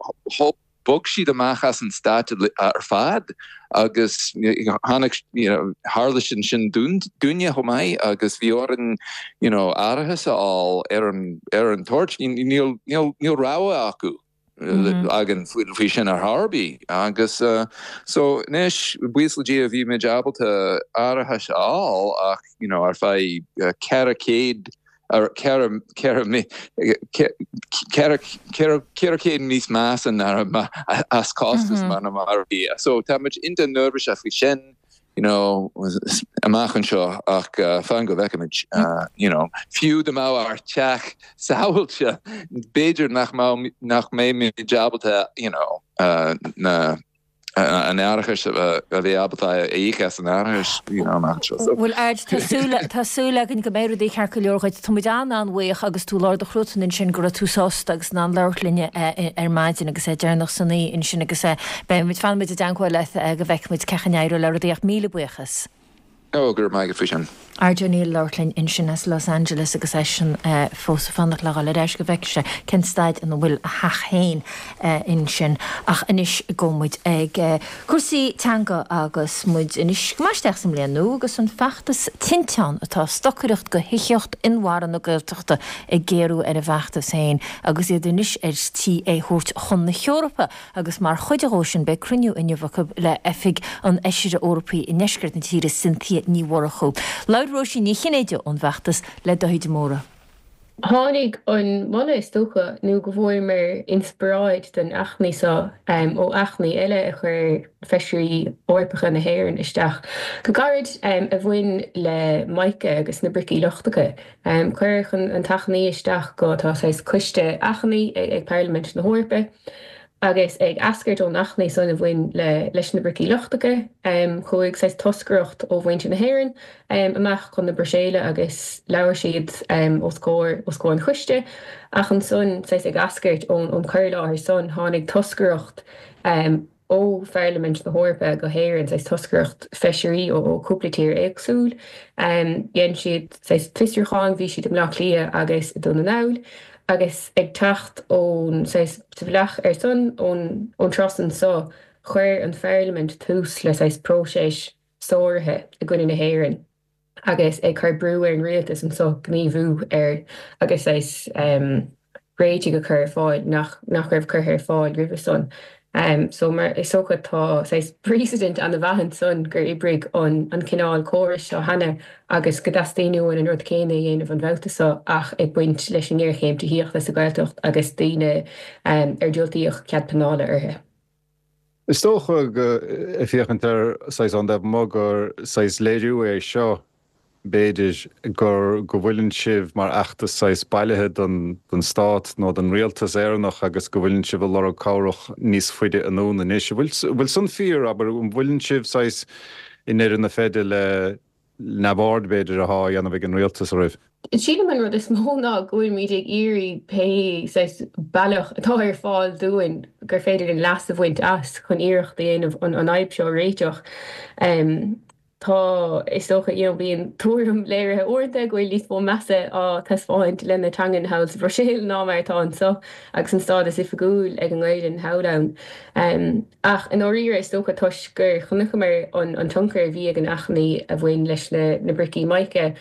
Bhog siad amach as an stát ar fad agus tháinig, you know, tharla sin sin dúinne chomh maith agus bhí orainn, you know, árachas a fháil ar an, ar an toirt. Níl, níl, níl rogha acu, againn faoi sin ar chor ar bith agus so anois, buíochas le Dia, bhí muid ábalta árachas a fháil ach, you know, ar feadh 400 400 níos measa ná as costas mar a bhí. So tá muid iontach neirbhíseach faoi sin, you know, amach anseo ach fan go bhfeicfimid, you know. Fiú dá mbeadh ár teach sábháilte, b'fhéidir nach mbeimid ábalta, you know, na an árachas a bheith ábalta a íoc as an árachas you know amach anseo. So. Bhuel Ard, tá súil, tá súil againn go mbeidh rudaí ceart go leor dhuit. Tá muid an-an-bhuíoch agus tú i lár do chruatain ansin go raibh tú sásta agus in ann labhairt linne ar maidin agus é deireanach san oíche ansin agus beidh muid, fanfaidh muid i dteagmháil leat go bhfeicfidh muid cén chaoi a n-éireoidh le rudaí ach míle buíochas. Ó, go raibh maith agat faoi sin. Ard O'Neill ag labhairt linn ansin as Los Angeles agus eisean fós ag fanacht le dhul ar ais go bhfeicfidh sé cén staid ina bhfuil a theach féin ansin. Ach anois gabhfaidh muid ag cúrsaí teanga agus muid anois go maith isteach sa mbliain nua agus an feachtas Tinteán atá ag stocaireacht do thithíocht inmharthana Gaeltachta ag géarú ar a bhfeachtas féin agus iad anois ar tí é thabhairt chun na hEorpa. Agus mar chuid dhó sin beidh cruinniú inniu acu le Oifig an Fheisire Eorpaigh i ndeisceart na tíre, Cynthia Ní Mhurchú. Labhair Róisín Ní Chinnéide ón bhfeachtas le Dáithí de Mórdha. Tháinig an moladh is dócha nó go bhfuaireamar inspioráid don achainí seo ó achainí eile a chuir Feisirí Eorpacha na hÉireann isteach go gairid a bhain le mica agus na bricí lochtacha. Cuireadh an t-achainí isteach go, tá saghas coiste achainí ag Parlaimint na hEorpa agus ag eascairt ón achainí san a bhain le leis na bricí lochtacha, chuaigh saghas toscaireacht ó mhuintir na hÉireann amach chun na Bruiséile agus labhair siad os comhair os comhair an choiste. Ach ansan, saghas ag eascairt ón cur i láthair san, tháinig toscaireacht ó Pharlaimint na hEorpa go hÉirinn, saghas toscaireacht feisirí ó chúpla tír éagsúil. Dhein siad saghas fiosrúchán, bhí siad i mBleá Cliath agus i Dún na nGall agus ag teacht ón saghas sa bhealach ar son ón ón turas anso chuir an Pharlaimint tús le saghas próiseas sáraithe i gcoinne na hÉireann. agus ag cur brú ar an rialtas anso gníomhú ar agus saghas réitigh a chur ar fáil nach nach raibh curtha ar fáil roimhe san. So mar is dócha tá saghas precedent ana-mhaith ansan gur oibrigh an an cineál córais seo cheana agus go dteastaíonn uainn an rud céanna a dhéanamh an babhta seo ach ag baint leis an ngéarchéim tithíochta sa Ghaeltacht agus daoine ar diúltaíodh cead pleanála orthu. Is dócha go, ag féachaint air saghas ón dtaobh amuigh, gur saghas léiriú é seo, b'fhéidir, gur, go bhfuileann sibh mar fheachtas saghas bailithe don, don stát nó don rialtas Éireannach agus go bhfuileann sibh ag lorg cabhrach níos faide anonn anois. An bhfuil, an bhfuil san fíor, abair, an bhfuileann sibh saghas i ndeireadh na feide le neamhaird, b'fhéidir, athá á dhéanamh ag an rialtas oraibh? Sílim an rud is mó ná go bhfuilimid ag iarraidh pé saghas bealach atá ar fáil dúinn gur féidir linn leas a bhaint as chun iarracht a dhéanamh an fhadhb seo a réiteach. Tá, is dócha, you know, bíonn tuairim léirithe uaireanta go bhfuil níos mó measa á taispeáint lena teangain thall sa Bhruiséil ná mar atá anseo agus an stádas oifigiúil ag an nGaelainn thall ann. Ach i ndáiríre, is dócha toisc gur chonaiceamar an tionchar a bhí ag an achainí a bhain leis na bricí mica,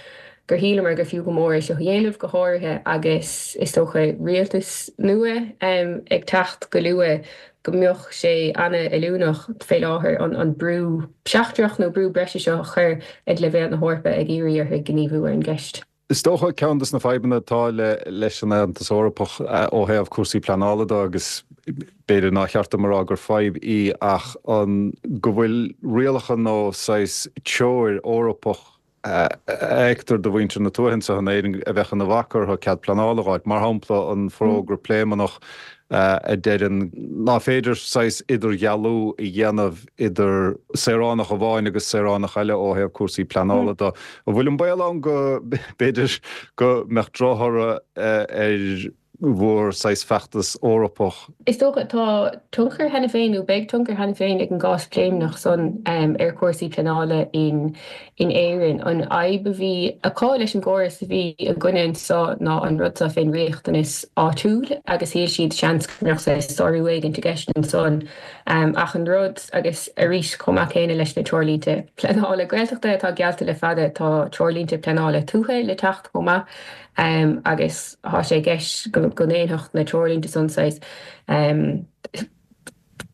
gur shíleamar gur fiú go mór é seo a dhéanamh, go háirithe agus, is dócha, rialtas nua ag teacht go luath, go mbeadh sé an-fheiliúnach fé láthair an brú seachtrach nó brú breise seo a chur ag leibhéal na hEorpa ag iarraidh orthu gníomhú ar an gceist. Is dócha, ceann de na fadhbanna atá leis an Aontas Eorpach ó thaobh cúrsaí pleanála de, agus b'fhéidir nár cheart dom a rá gur fadhb í, ach an go bhfuil rialacha nó saghas treoir Eorpach a fheictear do mhuintir na tuaithe anseo in Éirinn a bheadh ina bhac orthu cead pleanála a dh'fháilt. Mar shampla, an forógra Pléimeannach a deireann ná féidir saghas idirdhealú a dhéanamh idir saoránach amháin agus saoránach eile ó thaobh cúrsaí pleanála de. An bhfuil an baol ann go b'fhéidir go mbeadh drochthoradh ar bhur saghas feachtas Eorpach? Is dócha, tá tionchar cheana féin, nó beidh tionchar cheana féin ag an gcás Pléimeannach san ar chúrsaí pleanála in Éirinn. An fhadhb a bhí acu leis an gcóras a bhí againne anseo ná an rud seo fén riachtanas áitiúil agus shíl siad seans go mbeadh saghas sárú éigint i gceist ansan. Ach an rud, agus arís chomh maith céanna leis na treoirlínte pleanála Gaeltachta atá geallta le fada, tá treoirlínte pleanála tuaithe le teacht chomh maith agus tá sé i gceist go ndéanfadh na treoirlínte san saghas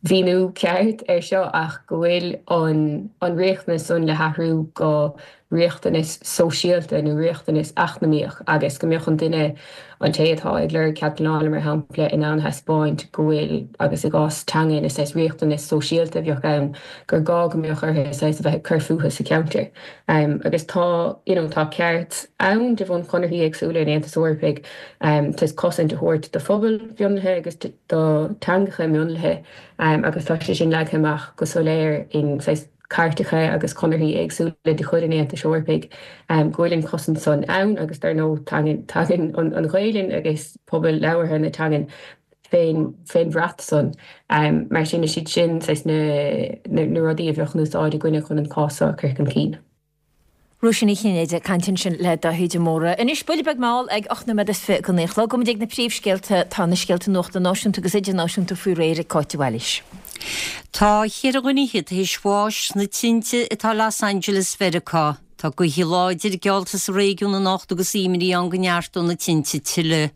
mhíniú ceart ar seo ach go bhfuil an riachtanas san le hathrú go riachtanas sóisialta nó riachtanas eacnamaíoch agus go mbeadh an duine, an té atá ag lorg cead pleanála mar shampla, in ann a thaispeáint go bhfuil, agus i gcás teangan is saghas riachtanas sóisialta a bheadh ann, gur gá go mbeadh orthu saghas a bheith ag cur fúthu sa cheantar. Agus tá, you know, tá ceart ann de bhun chonarthaí éagsúla an Aontais Eorpaigh saghas cosaint a thabhairt do phobail mhionlaithe agus do theangacha mionlaithe agus tá sé sin leagtha amach go soiléir in saghas cairteacha agus conarthaí éagsúla de chuid an Aontais Eorpaigh go bhfuil an chosaint san ann agus dar ndóigh tagann an Ghaelainn agus pobal labhartha na teangan fén fén bhrat san. Mar sin is iad sin saghas na rudaí a bheadh in úsáid againne chun an cás seo a chur chun cinn. Róisín Ní Chinnéide ag caint ansin le Dáithí de Mórdha. Anois, buille beag mall ag 8 nóiméad is 20 go 9 a chlog. Gabhfaidh muid ag na príomhscéalta. Tá na scéalta nuachta náisiúnta agus idirnáisiúnta faoi réir ag Cáit de Bhailís. Tá cheithre dhuine fhichead théis bháis sna tinte atá i Los Angeles Mheiriceá. Tá gaotha láidir geallta sa réigiún anocht agus imní ann go neartóidh na tinte tuilleadh.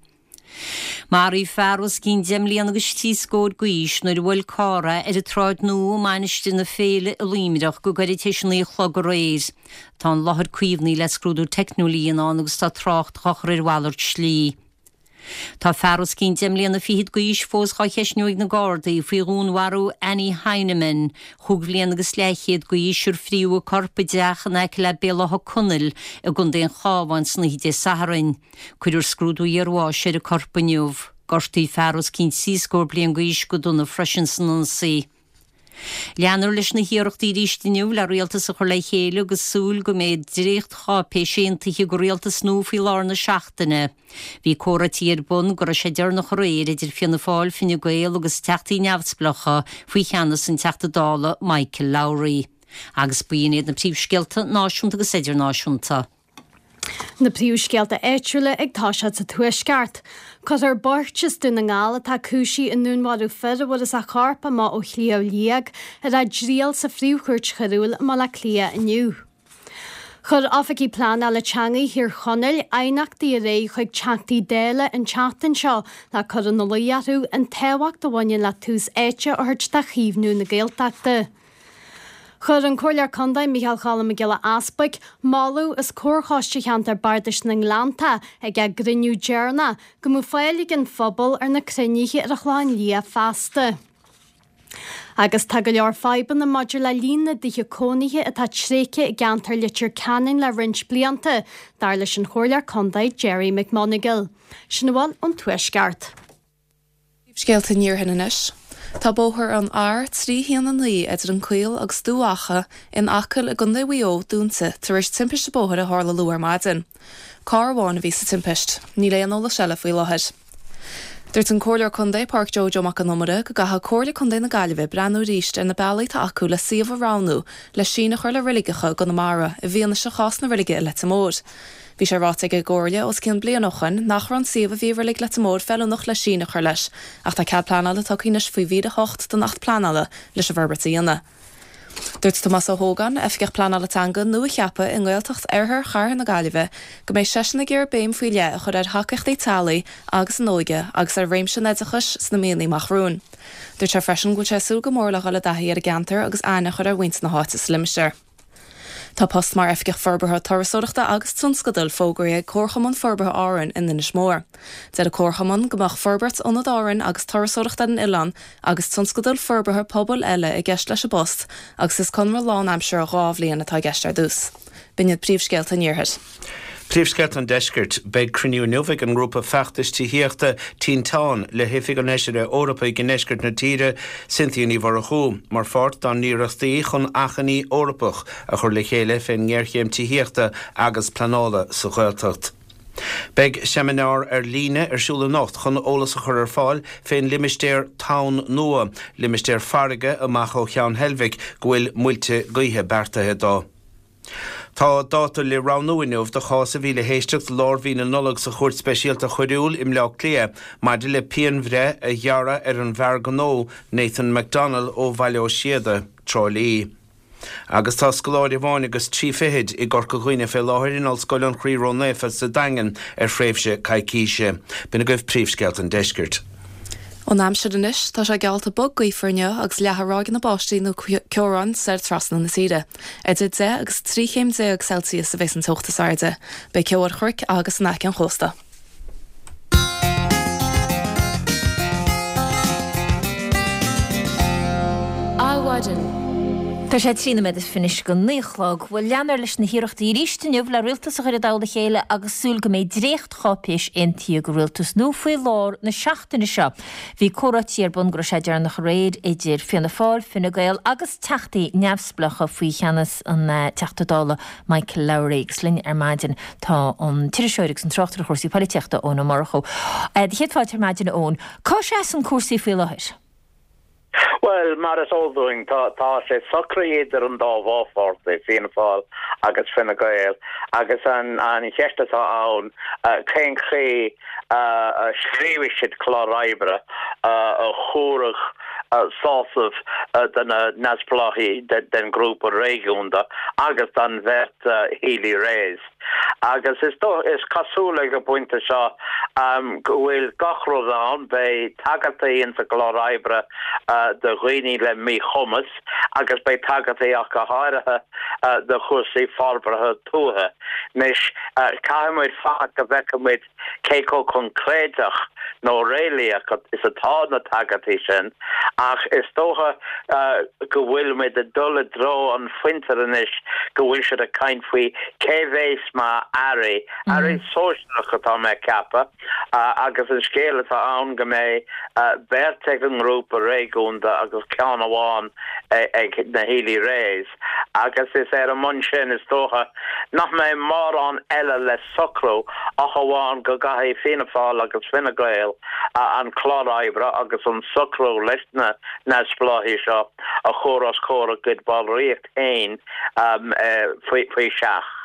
Maraíodh fear os cionn deich mbliana agus trí scór d'aois nuair a bhuail carr é ar an tSráid Nua i Mainistir na Féile i Luimneach go gairid tar éis a 9 a chlog aréir. Tá an láthair caomhnaithe le scrúdú teicniúil a dhéanamh ann agus tá trácht á chur ar mhalairt slí. Tá fear os cionn deich mbliana fichead d'aois fós dhá cheistniú ag na Gardaí faoi dhúnmharú Annie Heineman, chúig bhliana agus leathchéad d'aois, ar fríodh a corp i dteach in aice le Béal Átha Conaill i gContae an Chabháin san oíche Dé Sathairn. Cuirfear scrúdú iarbháis ar an corp inniu. Gortaíodh fear os cionn trí scór bliain d'aois go dona freisin san ionsaí. Leanfar leis na hiarrachtaí arís inniu le rialtas a chur le chéile agus súil go mbeidh dréachtcháipéis aontaithe do rialtas nua faoi lár na seachtaine. Bhí comhráití ar bun go raibh sé deireanach aréir idir Fianna Fáil, Fine Gael agus teachtaí neamhspleácha faoi cheannas an Teachta Dála Michael Lowry. Agus b'in iad na príomhscéalta náisiúnta agus idirnáisiúnta. Na príomhscéalta áitiúla ag toiseacht sa Tuaisceart. Cuirfear beirt as Dún na nGall atá cúisithe i ndúnmharú fir a bhfuarthas a chorp amuigh ó Shliabh Liag ar a dtriail sa Phríomh-Chúirt Choiriúil i mBaile Átha Cliath inniu. Chuir Oifigigh Pleanála Teanga Thír Chonaill aighneachtaí ar aghaidh chuig Teachtaí Dála an tseachtain seo le cur ina luí orthu an tábhacht a bhaineann le tús áite a thabhairt do chaomhnú na Gaeltachta. Chuir an Comhairleoir Contae Micheál Cholm Mac Giolla Easbuig moladh os comhair Choiste Cheantar Bardais na nGleanntach ag a gcruinniú deireanach go mbeadh fáil ag an phobal ar na cruinnithe ar an Chlochán Liath feasta. Agus tá go leor fadhbanna maidir le líon na dtithe cónaithe atá tréigthe i gceantar Leitir Ceanainn le roinnt blianta, dar leis an Chomhairleoir Contae Gerry McMonagall. Sin a bhfuil ón Tuaisceart. Scéalta an Iarthair anois. Tá bóthar an R319 idir an Caol agus Dumha Acha in Acaill i gContae Mhaigh Eo dúnta tar éis timpiste bóthair a tharla luath ar maidin. Carr amháin a bhí sa timpist. Níl aon eolas eile faoi láthair. Dúirt an Comhairleoir Contae Pádraic Joe Joe Mac Con Iomaire go gcaithfidh Comhairle Contae na Gaillimhe breathnú arís ar na bealaí atá acu le suíomh a roghnú le síneadh a chur le reiligeacha i gConamara i bhfianaise chás na reilige i Leitir Móir. Bhí sé ráite ag an gComhairle os cionn bliain ó shoin nach raibh an suíomh a bhí i Reilig Leitir Móir feiliúnach le síneadh a chur leis, ach tá cead pleanála tugtha anois faoi mhír 8 den Acht Pleanála leis an bhforbairt a dhéanamh. Dúirt Tomás Ó hÓgáin, Oifigeach Pleanála Teanga nua-cheaptha i nGaeltacht Oirthear Chathair na Gaillimhe, go mbeidh seisean ag iarraidh béim faoi leith a chur ar thacaíochtaí teaghlaigh agus an óige agus ar réimse an oideachais sna míonna amach romhainn. Dúirt sé freisin go bhfuil sé ag súil go mór le dhul i dtaithí ar an gceantar agus aithne a chur ar mhuintir na háite sa limistéar. Tá post mar Oifigeach Forbartha Turasóireachta agus Tionscadail fógraithe ag Comharchumann Forbartha Árann in Inis Mór. Deir an Comharchumann go mbeadh forbairt Ionad Árann agus turasóireacht ar an oileán agus tionscadail forbartha pobail eile i gceist leis an bpost agus is conradh lánaimseartha 2 bhliain atá i gceist ar dtús. B'in iad príomhscéalta an Iarthair. Príomhscéalta an Deiscirt. Beidh cruinniú inniu ag an ngrúpa feachtais tithíochta Tinteán le hOifig an Fheisire Eorpaigh i ndeisceart na tíre, Cynthia Ní Mhurchú, mar pháirt dá n-iarrachtaí chun achainí Eorpach a chur le chéile fén ngéarchéim tithíochta agus pleanála sa Ghaeltacht. Beidh seimineár ar líne ar siúl anocht chun eolas a chur ar fáil fén limistéar Tonn Nua, limistéar farraige amach ó Cheann Heilbhic go bhfuil muilte gaoithe beartaithe dó. Tá dáta le roghnú inniu do chás a bhí le héisteacht lár mhí na Nollag sa Chúirt Speisialta Choiriúil i mBleá Cliath maidir le pianbhreith a ghearradh ar an bhfear gnó Nathan McDonnell ó Bhaile Ó Síoda, Trá Lí. Agus tá scoláire amháin agus tri fichid i gCorca Dhuibhne fé láthair in Ollscoil an Chroí Ró-Naofa sa Daingean ar thréimhse coicíse. B'in agaibh príomhscéalta an deiscirt. An aimsir anois, tá sé geallta bog gaofar inniu agus leathadh ráigeanna báistí nó ceobhráin soir trasna na tíre. Idir 10 agus 13 chéim Celsius a bheas an teocht is airde. Beidh ceo ar chnoic agus in aice an chósta. Adhmhaidin. Tá sé 13 nóiméad anois go 9 a chlog. Bhuel, leanfar leis na hiarrachtaí arís inniu le rialtas a chur i dtoll a chéile agus súil go mbeidh dréachtcháipéis aontaithe ag an rialtas nua faoi lár na seachtaine seo. Bhí comhráití ar bun go raibh sé deireanach aréir idir Fianna Fáil, Fine Gael agus Teachtaí neamhspleácha faoi cheannas an Teachta Dála Michael Lowry agus linn ar maidin tá an t-iriseoir agus an tráchtaire chúrsaí polaitíochta Eoin Ó Murchú. Do chéad fáilte ar maidin a Eoin. Cá seasann cúrsaí faoi láthair? Bhuel, mar is eol dúinn, tá tá sé socraithe idir an dá mhórpháirtí, Fianna Fáil agus Fine Gael, agus an an cheist atá ann, cén chaoi a scríobhfaidh siad clár oibre a thabharfadh sásamh do na neamhspleáchaigh den ghrúpa réigiúnda agus don bheirt Healy-Raes. Agus is is cosúil ag an bpointe seo go bhfuil gach rud ann, beidh tagairtí insa gclár oibre do dhaoine le míchumas agus beidh tagairtí ach go háirithe do chúrsaí forbartha tuaithe. Anois, caithfidh muid fanacht go bhfeicfidh muid cé chomh coincréideach nó réalaíoch is atá na tagairtí sin, ach is dócha go bhfuil muid ag dul i dtreo an phointe anois go bhfuil siad ag caint faoi cé bhéas mar airí, airí sóisearach atá mé ag ceapadh, agus an scéal atá ann go mbeidh beirt ag an ngrúpa réigiúnda agus ceann amháin ag na Healy-Raes. Agus is ar an mbonn sin, is dócha, nach mbeidh mórán eile le socrú ach amháin go gcaithfidh Fianna Fáil agus Fine Gael an clár oibre agus an socrú leis na neamhspleáchaigh seo a chur os comhair a gcuid ballraíocht féin faoi seach.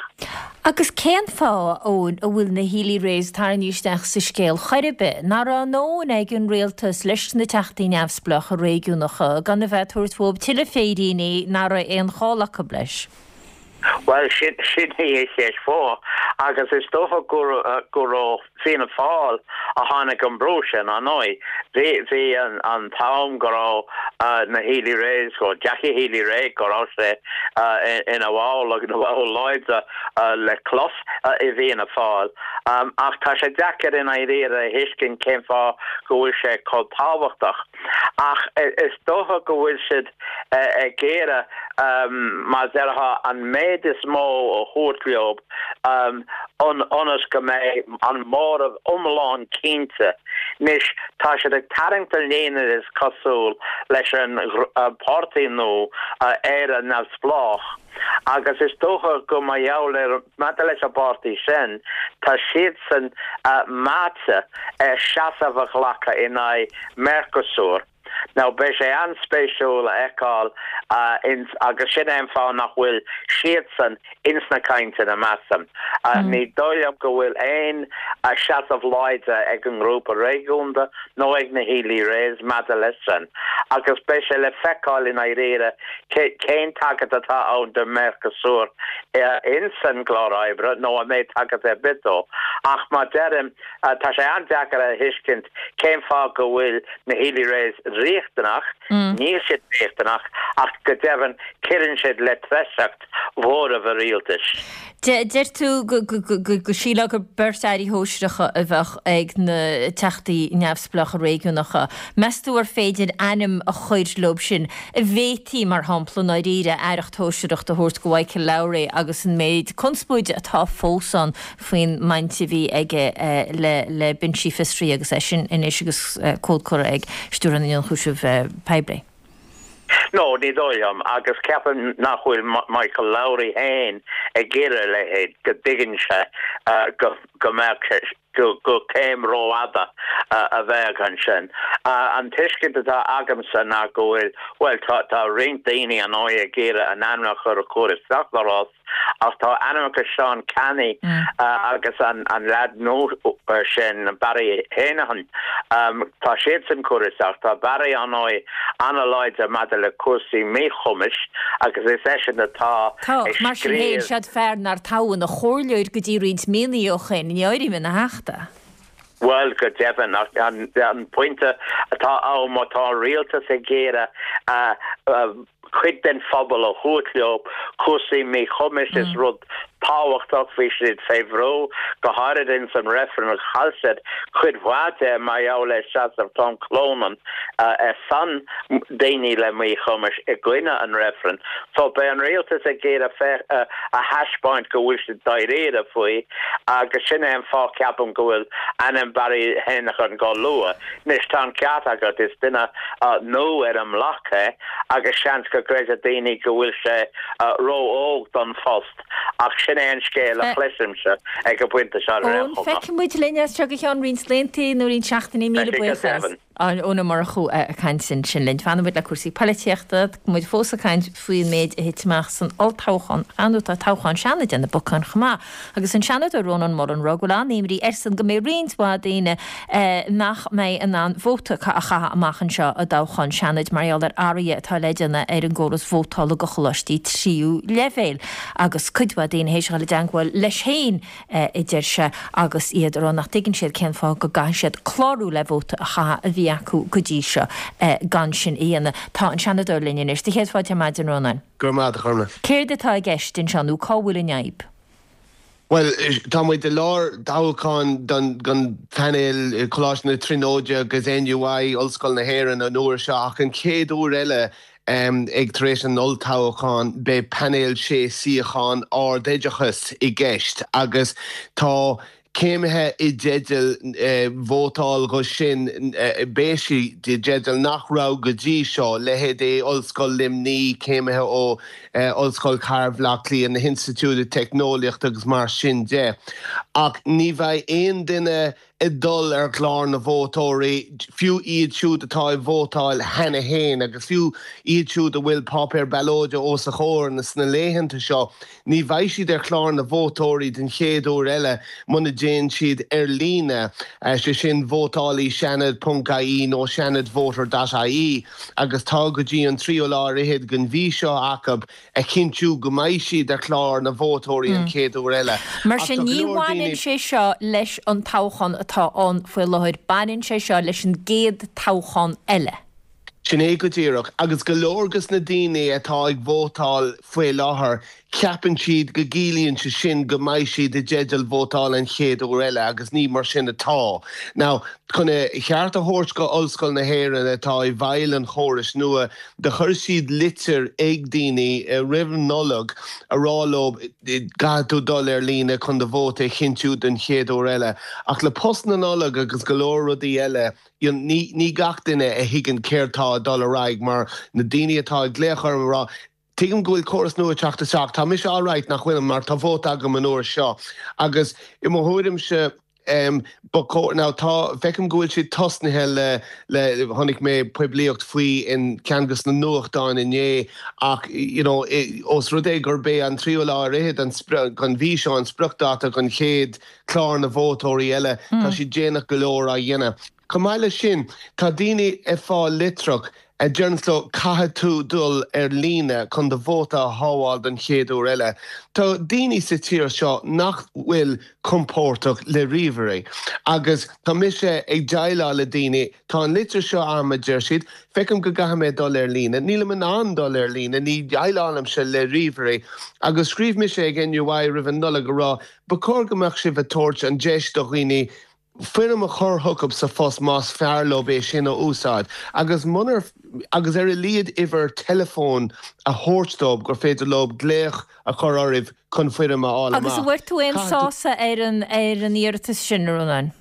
Agus cén fáth, a Eoin, a bhfuil na Healy-Raes tarraingthe isteach sa scéal chor ar bith? Nach raibh a ndóthain ag an rialtas leis na teachtaí neamhspleácha réigiúnacha gan a bheith ag tabhairt uathu tuilleadh féiríní nach raibh aon chall acu leis? Bhuel, sin í an cheist mhór, agus is dócha gur ó Fianna Fáil a tháinig an brú sin, ar ndóigh. Bhí an t-am go raibh na Healy-Raes, go Jackie Healy-Rae, go raibh sé ina bhall agus ina bhall láidir le clos i bhFianna Fáil. Ach tá sé deacair i ndáiríre a thuiscint cén fáth go bhfuil sé chomh tábhachtach. Ach is dócha go bhfuil siad ag iarraidh, mar a déarfá, an méid is mó a thabhairt leo ionas go mbeidh an móramh iomlán cinnte. Anois, tá siad ag tarraingt an líne, is cosúil, leis an bpáirtí nua, Éire Neamhspleách, agus is dócha go mar gheall ar, maidir leis an bpáirtí sin, tá siadsan meáite ar seasamh a ghlacadh in aghaidh Mercosur. Now beidh sé an-spéisiúil a fheiceáil ins, agus sin é an fáth nach bhfuil siadsan ins na cainteanna, measaim. Ní dóigh liom go bhfuil aon seasamh láidir ag an ngrúpa réigiúnda nó ag na Healy-Raes maidir leis sin, agus beidh sé le feiceáil i ndáiríre cén tagairt atá ann do Mercosur ins an gclár oibre nó an mbeidh tagairt ar bith dó. Ach mar deirim, Tá sé an-deacair a thuiscint cén fáth go bhfuil na Healy-Raes riachtanach, níl siad riachtanach, ach go deimhin cuireann siad le treasacht mhóramh an rialtais. Deir tú go sílfeá gur beirt airí shóisearacha a bheadh ag na teachtaí neamhspleácha réigiúnacha. Meas tú ar féidir ainm a chur leo sin? An bhféadfaí, mar shampla, i ndáiríre, aireacht shóisearach a thabhairt go Michael Lowry agus an méid conspóide atá fós ann faoin mbaint a bhí aige le binsí fiosraithe agus eisean anois agus comhad curtha ag Stiúrthóir na nIonchúiseamh Poiblí. No, ní dóigh liom, agus ceapaim nach bhfuil Michael Lowry féin ag iarraidh a leithéid, go dtuigeann sé go mbeadh sé, go céim rófhada a bheadh ansin. An tuiscint atá agamsa ná go bhfuil, bhuel, tá roinnt daoine ar ndóigh ag iarraidh a n-ainmneacha a chur isteach sa rás, Ach tá ainmneacha Seán Canney agus an leaid nua sin, Barry Heneghan, tá siadsan curtha isteach. Tá Barry, ar ndóigh, an-láidir maidir le cúrsaí míchumais agus is eisean atá Tá, ag mar sin féin, scríobh. siad fear nár toghadh ina chomhairleoir go dtí roinnt míonna ó shin, ní áirím ina theachta. Bhuel, go deimhin, ach an pointe atá ann, má tá an rialtas ag iarraidh cuid den phobal a thabhairt leo, cúrsaí míchumais is rud tábhachtach, bhí siad fé bhrú, go háirid ins an reifreann, chaill siad cuid mhaith de mar gheall ar seasamh Tom Clonan ar son daoine le míchumais i gcoinne an reifrinn. So beidh an rialtas ag iarraidh a thaispeáint go bhfuil siad dáiríre faoi agus sin é an fáth ceapaim go bhfuil ainm Barry Heneghan á lua. Anois tá an ceart agat, is duine nua ar an mbloc é agus seans go gcreidfidh daoine go bhfuil sé ró-óg don phost ach sin é an scéal a chloisimse ag an bpointe seo ar aon Eoin, chuma. feicfidh muid linn as seo go ceann roinnt laethanta nó roinnt seachtainí, míle Beidh sé go buíochas. deimhin. Eoin Ó Murchú ag caint ansin linn. Fanann muid le cúrsaí poilitíochta. Tá muid fós ag caint faoin méid a thit amach san olltoghchán. Ar ndóigh tá toghchán Seanaid ar na bacáin chomh maith. Agus an Seanadóir Rónán Mullen ag rá go bhfuil an-imní airsean go mbeidh roinnt mhaith daoine nach mbeidh in ann vóta a chaitheamh amach anseo i dtoghchán Seanaid mar gheall ar athruithe atá le déanamh ar an gcóras vótála do choláistí tríú leibhéal. Agus cuid mhaith daoine théis a dhul i dteangmháil leis féin a deir sé, agus iad ag rá nach dtuigeann siad cén fáth go gcaithfidh siad clárú le vóta a chaitheamh a bhí acu go dtí seo gan sin a dhéanamh. Tá an Seanadóir linn anois. Do chéad fáilte ar maidin, Rónáin. Go raibh maith agat, a Ghormfhlaith. Céard atá i gceist anseo nó cá bhfuil an fhadhb? Bhuel, tá muid i lár toghcháin don phainéal Coláiste na Tríonóide agus NUI, Ollscoil na hÉireann, an uair seo ach an chéad uair eile Ag tar éis an olltoghcháin beidh painéal sé suíochán ardoideachais i gceist agus tá céimithe i dteideal vótáil dho sin, beidh siad i dteideal nach raibh go dtí seo, leithéidí Ollscoil Luimní, céimithe ó Ollscoil Chathair Bhaile Átha Cliath, na hInstitiúide Teicneolaíochta agus mar sin de. Ach ní bheidh aon duine. ag dul ar chlár na vótóirí, fiú iad siúd atá ag vótáil cheana féin agus fiú iad siúd a bhfuil páipéar ballóide os a chomhair sna laethanta seo, ní bheidh siad ar chlár na vótóirí den chéad uair eile muna dtéann siad ar líne, sé sin vótálaí seanad ponc ie nó seanadvoter dot ie agus tá go dtí an tríú lá ar fhichead den mhí seo acu a chinntiú go mbeidh siad ar chlár na vótóirí an chéad uair eile. Mar Ach sin, tá go ní leor bhaineann daoine. sé seo leis an toghchán atá ann faoi láthair, baineann sé seo leis an gcéad toghchán eile. Sin é go díreach. Agus go leor dos na daoine atá ag vótáil faoi láthair, ceapann siad go gciallaíonn sé sin go mbeidh siad i dteideal vótáil an chéad uair eile agus ní mar sin atá. Now, chun a cheart a thabhairt go Ollscoil na hÉireann atá i bhfeighil an chórais nua, Do chuir siad litir ag daoine roimh an Nollaig a rá leo caithfidh tú dul ar líne chun do vóta a chinntiú don chéad uair eile. Ach le post na Nollag agus go leor rudaí eile, ní ní gach duine a thuigeann céard tá ag dul ar aghaidh mar na daoine atá ag glaoch orm ag rá tuigim go bhfuil córas nua ag teacht isteach, tá mise alright nach bhfuilim mar tá vóta agam an uair seo. Agus i mo thuairimse, Ba chóir, now tá, feicim go bhfuil siad tosnaithe le, le, chonaic mé poiblíocht faoi in ceann dos na nuachtáin inné ach you know ós rud é gurb é an tríú lá ar fhichead an den mhí seo an spriocdháta don chéad chlár na vótóirí eile, tá siad déanach go leor á dhéanamh. Chomh maith leis sin, tá daoine ag fáil litreach a deireanns leo caithfidh tú dul ar líne chun do vóta a shábháil don chéad uair eile. Tá daoine sa tír seo nach bhfuil compordach le ríomhairí agus tá mise ag déileáil le daoine, tá an litir seo a'm a deir siad, feicim go gcaithfidh mé dul ar líne, nílim in ann dul ar líne, ní dhéileálaimse le ríomhairí. Agus scríobh mise ag NUI roimh an Nollaig a rá ba chóir go mbeadh sibh ag tabhairt an deis do dhaoine foirm a chur chucu sa phost más fearr leo é sin a úsáid agus munar agus ar a laghad uimhir teileafóin a thabhairt dóibh gur féidir leo glaoch a chur oraibh chun foirm a fháil Agus an amach. bhfuair tú aon Caithfidh tú. sásamh ar an ar an iarratas sin, a Rónáin?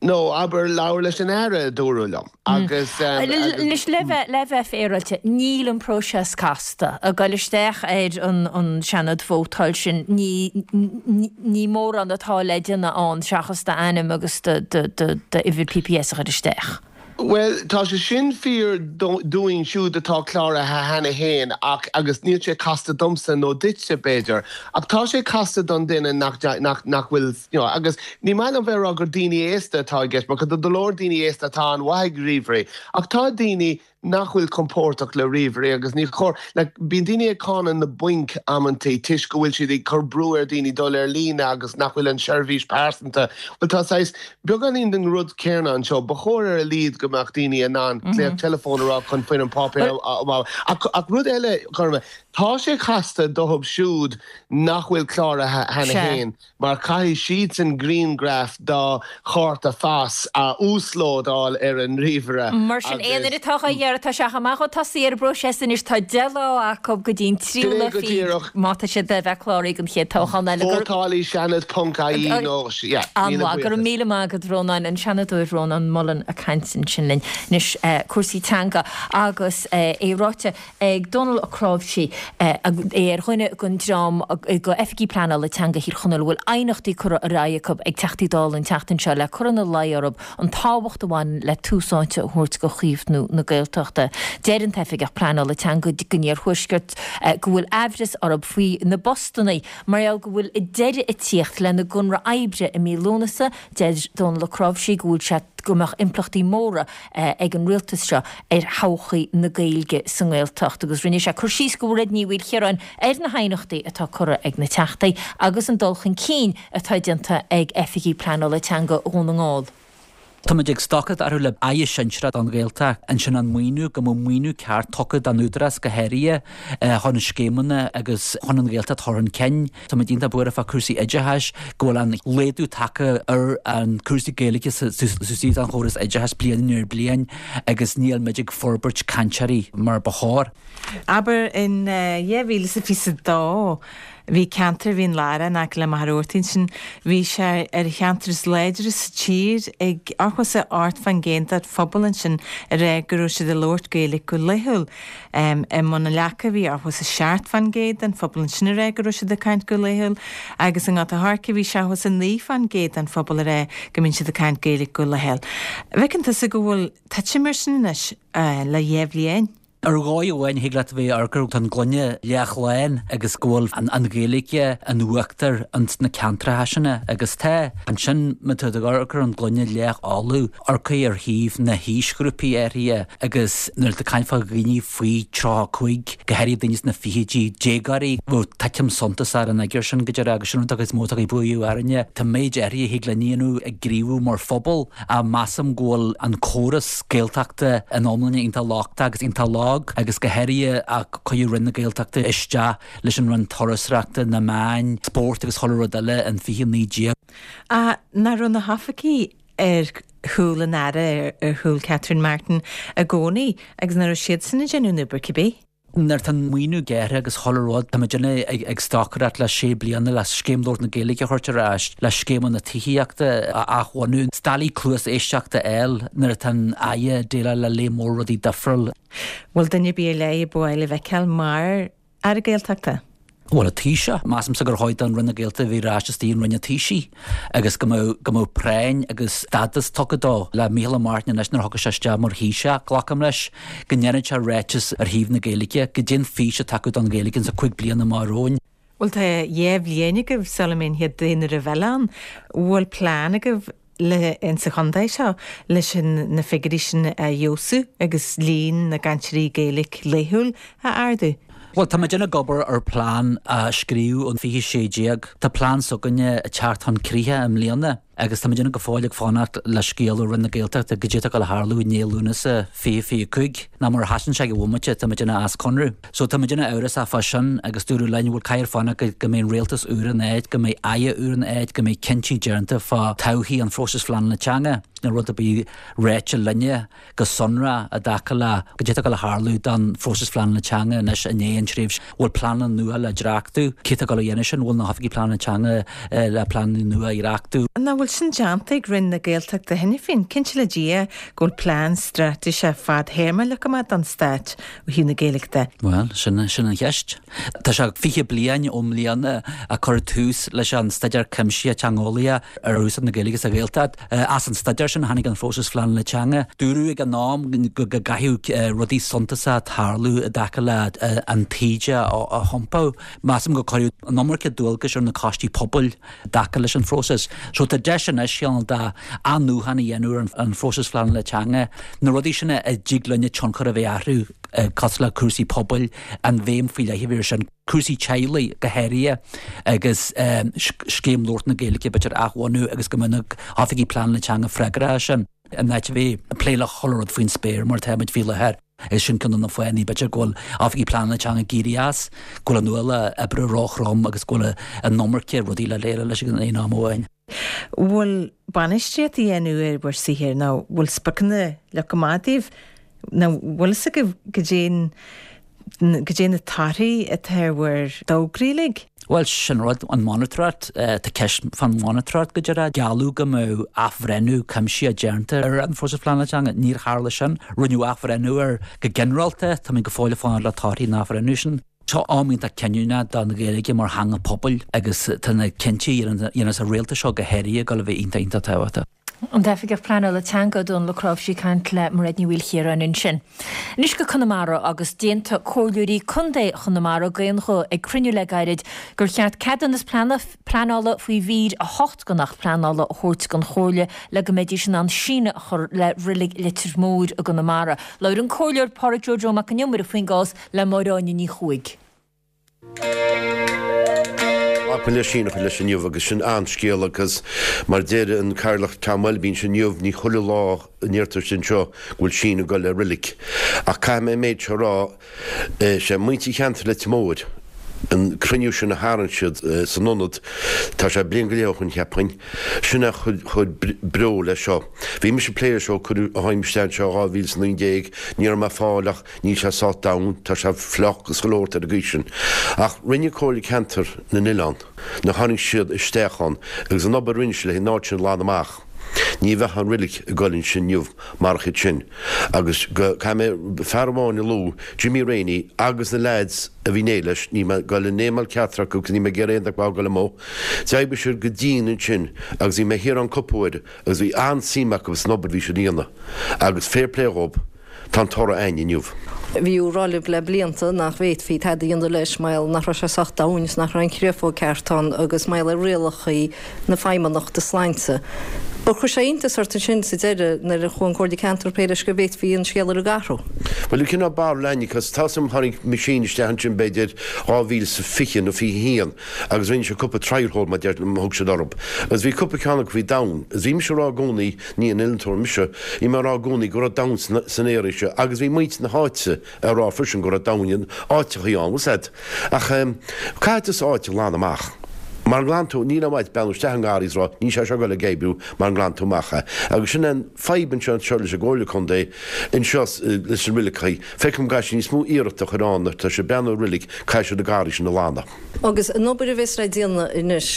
No, abair, labhair leis an Aire, a dúradh liom. Agus, agus. Anois, le bheith, le bheith féaráilte, níl an próiseas casta. Ag dul isteach ar an, an Seanad vótáil sin, ní, ní mórán atá le déanamh ann seachas d'ainm agus do, do, do, d'uimhir PPS a chur isteach. Bhuel, tá sé sin fíor dúinn siúd atá cláraithe cheana féin ach, agus níl sé casta domsa nó duitse, b'fhéidir, ach tá sé casta don duine nach, nach, nach bhfuil, you know, agus ní maith liom bheith ag rá gur daoine aosta atá i gceist, mar tá go leor daoine aosta atá an-mhaith ag ríomhairí, ach tá daoine nach bhfuil compordach le ríomhairí agus ní chóir, like, bíonn daoine ag cáineadh na bainc amantaí toisc go bhfuil siad ag cur brú ar daoine dul ar líne agus nach bhfuil an seirbhís pearsanta, bhuel tá saghas beagáinín den rud céanna anseo, ba chóir ar a laghad go mbeadh daoine in ann glaoch teileafóin a rá chun foirm páipéir a fháil. Ach, ach rud eile, Gorma, tá sé casta dóibh siúd nach bhfuil cláraithe cheana féin. mar caithfidh siadsan grianghraf dá chárta phas a uaslódáil ar an ríomhaire Mar sin, aon agus. duine atá á iarraidh, tá sé chomh maith chun tosaigh ar an bpróiseas anois, tá 10 lá acu go dtí an tríú Sin lá é go fichead díreach. má tá siad le bheith cláraithe don chéad toghchán eile. Go. Vótálaí Seanad ponc ie nó yeah, míle An-mhaith. Go raibh buíochas. míle maith agat Rónán, an Seanadóir Rónán Mullen ag caint ansin linn. Anois cúrsaí teanga agus é ráite ag Dónal Ó Cnáimhsí, é ar dhuine den dream de Oifigigh Pleanála Teanga Thír Chonaill a bhfuil aighneachtaí curtha ar aghaidh acu ag Teachtaí Dála an tseachtain seo le cur ina luí orthu an tábhacht a bhaineann le tús áite a thabhairt do chaomhnú na Gaeltachta. Deir an tOifigeach Pleanála Teanga don Iarthuaisceart go bhfuil aimhreas orthu faoi na bpostanna mar gheall go bhfuil deireadh ag tíocht lena gconradh oibre i mí Lúnasa. Deir Dónal Ó Cnáimhsí go bhfuil sé go mbeadh impleachtaí móra ag an rialtas seo ar thodhchaí na Gaeilge sa nGaeltacht agus rinne sé cur síos do Mhairéad Ní Mhaoilchiaráin ar na haighneachtaí atá curtha ag na Teachtaí agus an dul chun cinn atá déanta ag Oifigigh Pleanála Teanga Dhún na nGall. Táimid ag stocaireacht orthu le Aire sinsearach don Ghaeltacht, ansin an maoiniú, go mbeadh maoiniú ceart tugtha don Údarás go háirithe chun scéimeanna agus chun an Ghaeltacht a chur chun cinn. Táimid iontach buartha fá cúrsaí oideachais, go bhfuil an laghdú tagtha ar an cúrsaí Gaeilge suas an chóras oideachais bliain i ndiaidh bliain agus níl muid ag forbairt cainteoirí mar ba chóir. Abair in 2022. Bhí ceantar Mhín Lárach in aice le Machaire Rabhartaigh ansin, bhí sé ar cheantar is láidre sa tír ag 88% den phobal ansin ag rá go raibh siad ag labhairt Gaeilge go laethúil. I mBun an Leaca bhí 87% den phobal ansin ag rá go raibh siad ag caint go laethúil agus i nGort a' Choirce bhí 79% den phobal ag rá go mbíonn siad ag caint Gaeilge go laethúil. An bhfeiceann tusa go bhfuil titim ar sin anois le dhá bhliain? Ar dhóigh amháin, thig leat a bheith ag amharc air, tá an gloine leath-lán agus go bhfuil an Ghaeilge in uachtar ins na ceantracha sin agus tá. Ansin, má tá tú ag amharc ar an gloine leath-fholamh, amharc ar thaobh na haoisghrúpaí áirithe agus nuair atá caint fá dhaoine faoi 35, go háirithe daoine sna fichidí, déagóirí, bheadh titim suntasach ar an fhigiúr sin go deimhin agus sin rud is mó atá ag bualadh orainne. Tá méid áirithe a thig linn a dhéanamh ag gníomhú mar phobal. Ach measaim go bhfuil an córas Gaeltachta ina iomláine iontach lochtach agus iontach lag agus go háirithe ó cuireadh Roinn na Gaeltachta isteach leis an Roinn Turasóireachta, na Meáin, Spóirt agus chuile rud eile in 2019. Ach nach raibh na hoifigí ar chúl an Aire, ar chúl Catherine Martin i gcónaí agus nach raibh siadsan ag déanamh an obair cibé? Nuair atá an maoiniú gearrtha agus chuile rud, tá muid ag stocaireacht le sé bliana le Scéim Labhairt na Gaeilge a thabhairt ar ais, le scéimeanna tithíochta a athbhunú, is doiligh cluas éisteachta a fháil nuair atá an Aire ag déileáil le léar mór rudaí difriúil. Bhfuil duine ar bith ar leith a ba mhaith libh a fheiceáil mar Aire Gaeltachta? Bhuel, an Taoiseach. Measaimse gur chóir don Roinn na Gaeltachta a bheith ar ais istigh in Roinn an Taoisigh agus go mbeadh, go mbeadh práinn agus stádas tugtha dó. Le Micheál Martin anois nuair a thiocfaidh sé isteach mar Thaoiseach, glacaim leis go ndéanfaidh sé ráiteas ar thaobh na Gaeilge, goidé an fís atá acu don Ghaeilge insa chúig bliana amach romhainn. Bhuel tá dhá bhliain agaibh sula mbeidh an chéad daonáireamh eile ann. Bhfuil plean agaibh le insa chontae seo leis an na figiúirí sin a fheabhsú agus líon na gcainteoirí Gaeilge laethúil a ardú. Bhuel, tá muid ag obair ar plean a scríobhadh in 2016. Tá plean s'againne ag teacht chun críche i mbliana agus tá muid go fóill ag fanacht le scéal ó Roinn na Gaeltachta goidé atá ag dul a tharlú i ndiaidh Lúnasa 2025. Nó mura sheasann sé ag an bhomaite, tá muid as conradh. So tá muid amhrasach fá sin agus dúradh linn, bhuel caithfear fanacht go go mbeidh an rialtas úr in áit, go mbeidh Aire úr in áit, go mbeidh cinntí déanta fá todhchaí an phróisis phleanála teanga. Níl rud ar bith ráite linne go sonrach i dtaca le goidé atá ag dul a tharlú don phróiseas phleanála teanga anois i ndiaidh an tréimhse. Bhfuil pleananna nua le dréachtú? Cé atá ag dul a dhéanamh sin? Bhfuil na hoifigigh pleanála teanga le pleananna nua a dhreachtú? Nach bhfuil sin déanta ag Roinn na Gaeltachta cheana féin? Cinnte le Dia go bhfuil plean straitéiseach fadthéarma leagtha amach don Stát ó thaobh na Gaeilge de. Bhuel, sin, sin an cheist. Tá sé 20 bliain i mbliana a cuireadh tús leis an staidéar cuimsitheach teangeolaíoch ar úsáid na Gaeilge sa Ghaeltacht. As an staidéar sin a tháinig an phróiseas phleanála teanga. Dúradh ag an am go gcaithfeadh rudaí suntasacha tarlú i dtaca le an taoide a thiompú. Measaim gur cuireadh an iomarca dualgais ar na coistí pobail i dtaca leis an phróiseas. So tá deis anois, cineál de athnuachan a dhéanamh ar an phróiseas phleanála teanga, na rudaí sin a dtig linne tionchar a bheith orthu, cosúil le cúrsaí pobail, an bhéim faoi leith a bheith air sin, cúrsaí teaghlaigh go háirithe agus scéim labhairt na Gaeilge b'fhéidir a athbhunú agus go mbeadh na hoifigigh pleanála teanga freagrach as sin in áit a bheith ag plé le chuile rud faoin spéir mar atá muid faoi láthair. Is sin ceann de na fáthanna, b'fhéidir, go bhfuil oifigigh pleanála teanga ag éirí as, go bhfuil an ualach oibre róthrom agus go bhfuil an iomarca rudaí le déileáil leis ag aon am amháin. Bhfuil bainistíocht á dhéanamh ar bhur saothar nó bhfuil spriocanna leagtha amach daoibh nó bhfuil fhios agaibh goidé goidé na torthaí atá ar bhur dtograí uilig? Bhuel, sin rud, an mhonatóireacht, tá ceist fán mhonatóireacht go díreach. Gealladh go mbeadh athbhreithniú cuimsitheach déanta ar an phróiseas pleanála teanga. Níor tharla sin. Rinneadh athbhreithniú air go ginearálta. Táimid go fóill ag fanacht le torthaí an athbhreithniú sin. Seo am iontach cinniúnach don Ghaeilge mar theanga pobail agus tá na cinntí a dhéanfas an rialtas seo go háirithe ag dul a bheith iontach iontach tábhachtach. An tOifigeach Pleanála Teanga, Dónal Ó Cnáimhsí ag caint le Mairéad Ní Mhaoilchiaráin ansin. Anois go Conamara agus d'aontaigh comhairleoirí contae Chonamara d'aon ghuth ag cruinniú le gairid gur cheart ceadúnas pleanála faoi mhír 8 den Acht Pleanála a thabhairt don Chomhairle le go mbeidís in ann síneadh a chur le Reilig Leitir Móir i gConamara. Labhair an Comhairleoir Pádraig Joe Joe Mac an Iomaire faoin gcás le Máire Áine Ní Chuaig. Glacadh le síneadh a chur leis inniu agus sin an-scéal agus mar a deir an Cathaoirleach Tom Welby ansin inniu, ní chuile lá a ndeirtear sin seo go bhfuil síneadh ag dul le reilig. Ach caithfidh mé an méid seo a rá, sé muintir cheantar Leitir Móir. An cruinniú sin a tharraing siad san ionad, tá sé bliain go leith ó shoin cheapfainn, sin a chuir breo leis seo. Bhí mise ag plé leis ó cuireadh a shuim isteach anseo 2019, ní raibh mé ag fáil ach níl sé sách domhain, tá sé fliuch agus chuile shórt ar an gcaoi sin. Ach rinne Comhairle Ceantar na nOileán, nuair a tháinig siad isteach ann agus an obair a rinne siad le an áit sin a ghlanadh amach, ní bheadh an reilig ag goil ansin inniu marach iad sin. Agus go, caithfidh mé fear amháin a lua, Jimmy Rainey agus na leaids a bhí in éindí leis, níl mé ag goil a nameáil ceachtar acu agus níl mé ag iarraidh aon duine acu a ghoil amú. D'oibrigh siad go dian ansin agus bhí mé thiar ann cúpla uair agus bhí an-suim acu san obair a bhí siad a dhéanamh agus fair play dhób, tá an toradh a'inn inniu. Bhí á rá libh le blianta nach bhféadfaí tada a dhéanamh leis mar gheall nach raibh sé sách domhain is nach raibh an chréafóg ceart ann agus mar gheall ar rialacha na Feidhmeannachta Sláinte. Ar chuir sé iontas ort ansin sa deireadh nuair a chuaigh an Comhairle Ceantair plé leis go bhféadfaí an scéal uilig a athrú? Bhuel, cineál barúil a'inne, cos tá 's a'm tháinig machine isteach ansin b'fhéidir 2020 nó 21 agus rinne siad cúpla trial hole mar deir, thug siad orthub. Agus bhí cúpla ceann acu a bhí domhain. Agus bhí mise a rá i gcónaí, ní aon innealtóir mise, bhí mé a rá i gcónaí go raibh domhain san area seo agus bhí muintir na háite a rá freisin go raibh domhain in áiteachaí ann, bhfuil 's a'd. Ach caithfidh tusa áit a ghlanadh amach. Mara nglanann tú, níl aon mhaith beannú isteach i ngarraí is rá níl sé seo ag dul ag oibriú mara nglanann tú amach é. Agus sin é an fadhb anseo anseo leis an gComhairle Contae anseo leis na roiligeachaí. Feicim go gcaithfidh siad níos mó iarrachta a chur ann nuair atá siad ag breathnú ar roilig, caithfidh siad na garraí sin a ghlanadh. Agus an obair a bheas le déanamh anois,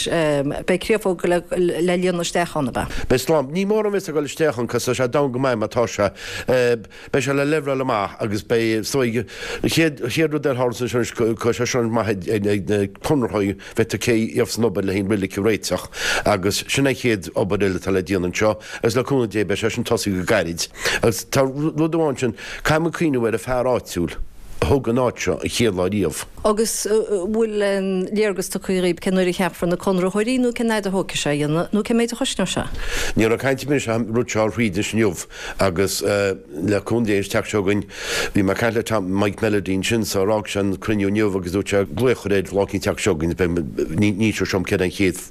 beidh créafóg le líonadh isteach ann, ab ea? Beidh slám. Ní mórán a bheas ag dul isteach ann cos tá sé domhain go maith mar tá sé. Beidh sé le leibhleáil amach agus beidh, is dóigh, an chéad, chéad rud eile a tharlas anseo anois, go sé seo maith ag na conraitheoirí bheith ag cé gheobhas an obair le haghaidh an roilig a réiteach agus sin an chéad obair eile atá le déanamh anseo agus le cúnamh Dé beidh sé sin tosaithe go gairid. Agus tá rud amháin sin, caithfidh muid cuimhneamh ar an fear áitiúil a thóg an áit seo an chéad lá riamh. Agus bhfuil aon léargas tugtha dhaoib cén uair a cheapfar na conraitheoirí nó cén fhaid a thógfaidh sé a dhéanamh nó cén méid a chosnóidh sé? Ní raibh caint ar bith ar an rud seo a thríd anois inniu. Agus le cúnamh Dé an tseachtain seo chugainn, bhí mé ag caint le Tom, Mike Melody ansin, so d'fhág sé an cruinniú inniu agus dúirt sé glaoch a chur air lá eicínt an tseachtain seo chugainn, beidh, ní, ní inseoidh sé dom céard é an chéad,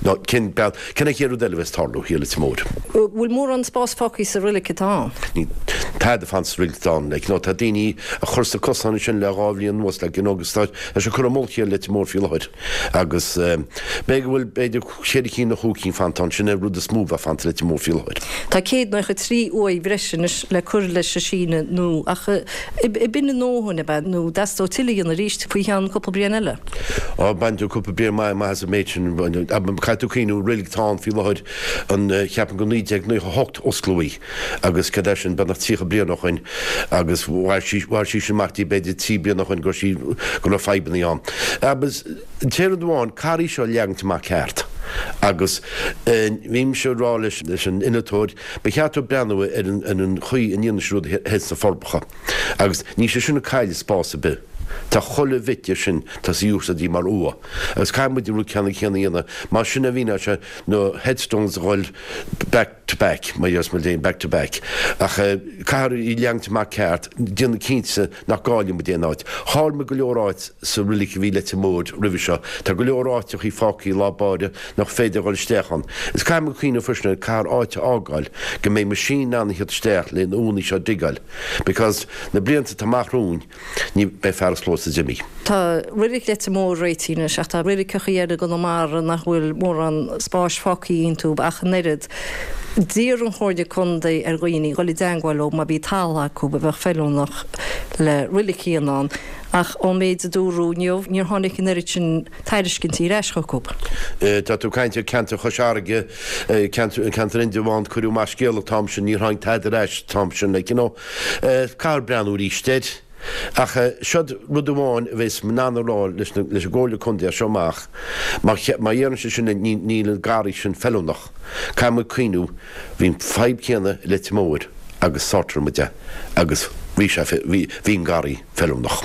ná cén beal, cén an chéad rud eile a bheas ag tarlú thiar i Leitir Móir. Bhfuil mórán spás fágtha sa roilig atá ann? Níl tada fanta sa roilig atá ann, like, you know, tá daoine ag cur sna cosáin ansin le dhá bhliain anuas, like, you know, agus tá, tá sé curtha i mullach a chéile i Leitir Móir faoi láthair agus b'fhéidir go bhfuil, b'fhéidir, Cheithre cinn nó chúig cinn fanta ann, sin é an rud is mó a bheith fanta i Leitir Móir faoi láthair. Tá 193 uaigh bhreise anois le cur leis an síneadh nua ach b'in a ndóthain, ab ea, nó dteastódh tuilleadh a dhéanamh arís faoi cheann cúpla bliain eile? Á, bainfidh tú cúpla bliain maith amach as an méid sin. Caithfidh tú cuimhniú, roilig atá ann faoi láthair, an, cheapfainn go 1998 osclaíodh í agus cad é sin, beagnach 30 bliain ó shoin agus mhair sí, mhair sí sin amach dtí b'fhéidir trí bliana ó shoin go raibh sí, go raibh fadhbanna ann. Agus. An t-aon rud amháin, caithfear í seo a leagaint amach ceart. Agus bhí mise ag rá leis an innealtóir, ba cheart dó breathnú ar an chaoi a ndéanann siad rudaí thoir sna Forbacha. Agus níl sé sin ag cailleadh spás ar bith. Tá chuile bhit de sin, tá sí úsáidte mar uaigh. Agus caithfidh muid an rud ceannann céanna a dhéanamh. Mar sin a bhíonn sé, na headstones a dhul back to back, mar a déarfas muid féin, back to back. Ach caithfear í a leagaint amach ceart, déanamh cinnte nach gcailleann muid aon áit. Chaill muid go leor áit sa roilig a bhí i Leitir Móir roimhe seo. Tá go leor áiteachaí fágtha i lár báire nach féidir a dhul isteach ann. Is caithfidh muid cuimhneamh freisin ar caithfear áit a fhágáil go mbeidh machine in ann a theacht isteach le na uaigheanna seo a digeáil because na blianta atá amach romhainn ní beidh fearas close Jimmy. Tá roilig Leitir Móir réitithe anois ach tá roiligeachaí eile i gConamara nach bhfuil mórán spáis fágtha iontu ach an oiread. D'iarr an Chomhairle Contae ar dhaoine dhul i dteangmháil leo má bhí talamh acu a bheadh feiliúnach le roilig a dhéanamh ann ach ón méid a dúradh inniu níor tháinig an oiread sin tairiscintí ar ais chucu. Tá tú ag caint ar ceantar Chois Fharraige, ceantar ceantar Indreabhán, cuireadh amach scéala an t-am sin, níor tháinig tada ar ais an t-am sin, like you know. Caithfear breathnú arís air. Ach seod rud amháin a bheas mé in ann a rá leis an gComhairle Contae as seo amach, má dhéanann sé sin níl an garraí sin feiliúnach. Caithfidh muid cuimhniú, bhí an fadhb céanna i Leitir Móir agus sortáil muid é agus bhí sé, bhí an garraí feiliúnach.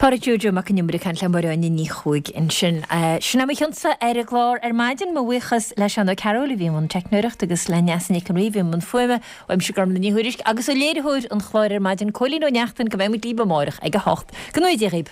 Pádraic Joe Joe Mac an Iomaire ag caint le Máire Áine Ní Chuaig ansin. Sin é mo chionsa ar an gclár ar maidin. Mo bhuíochas le Seán Ó Cearúil a bhí i mbun teicneoireachta agus le Neasa Nic an Rí a bhí i mbun fuaime. Uaimse Gormlaith Ní Thuairisg agus ó léiritheoir an chláir ar maidin, Cóilín Ó Neachtain, go mbeidh muid libh amárach ag a hocht. Go ngnóthaí Dia dhaoib.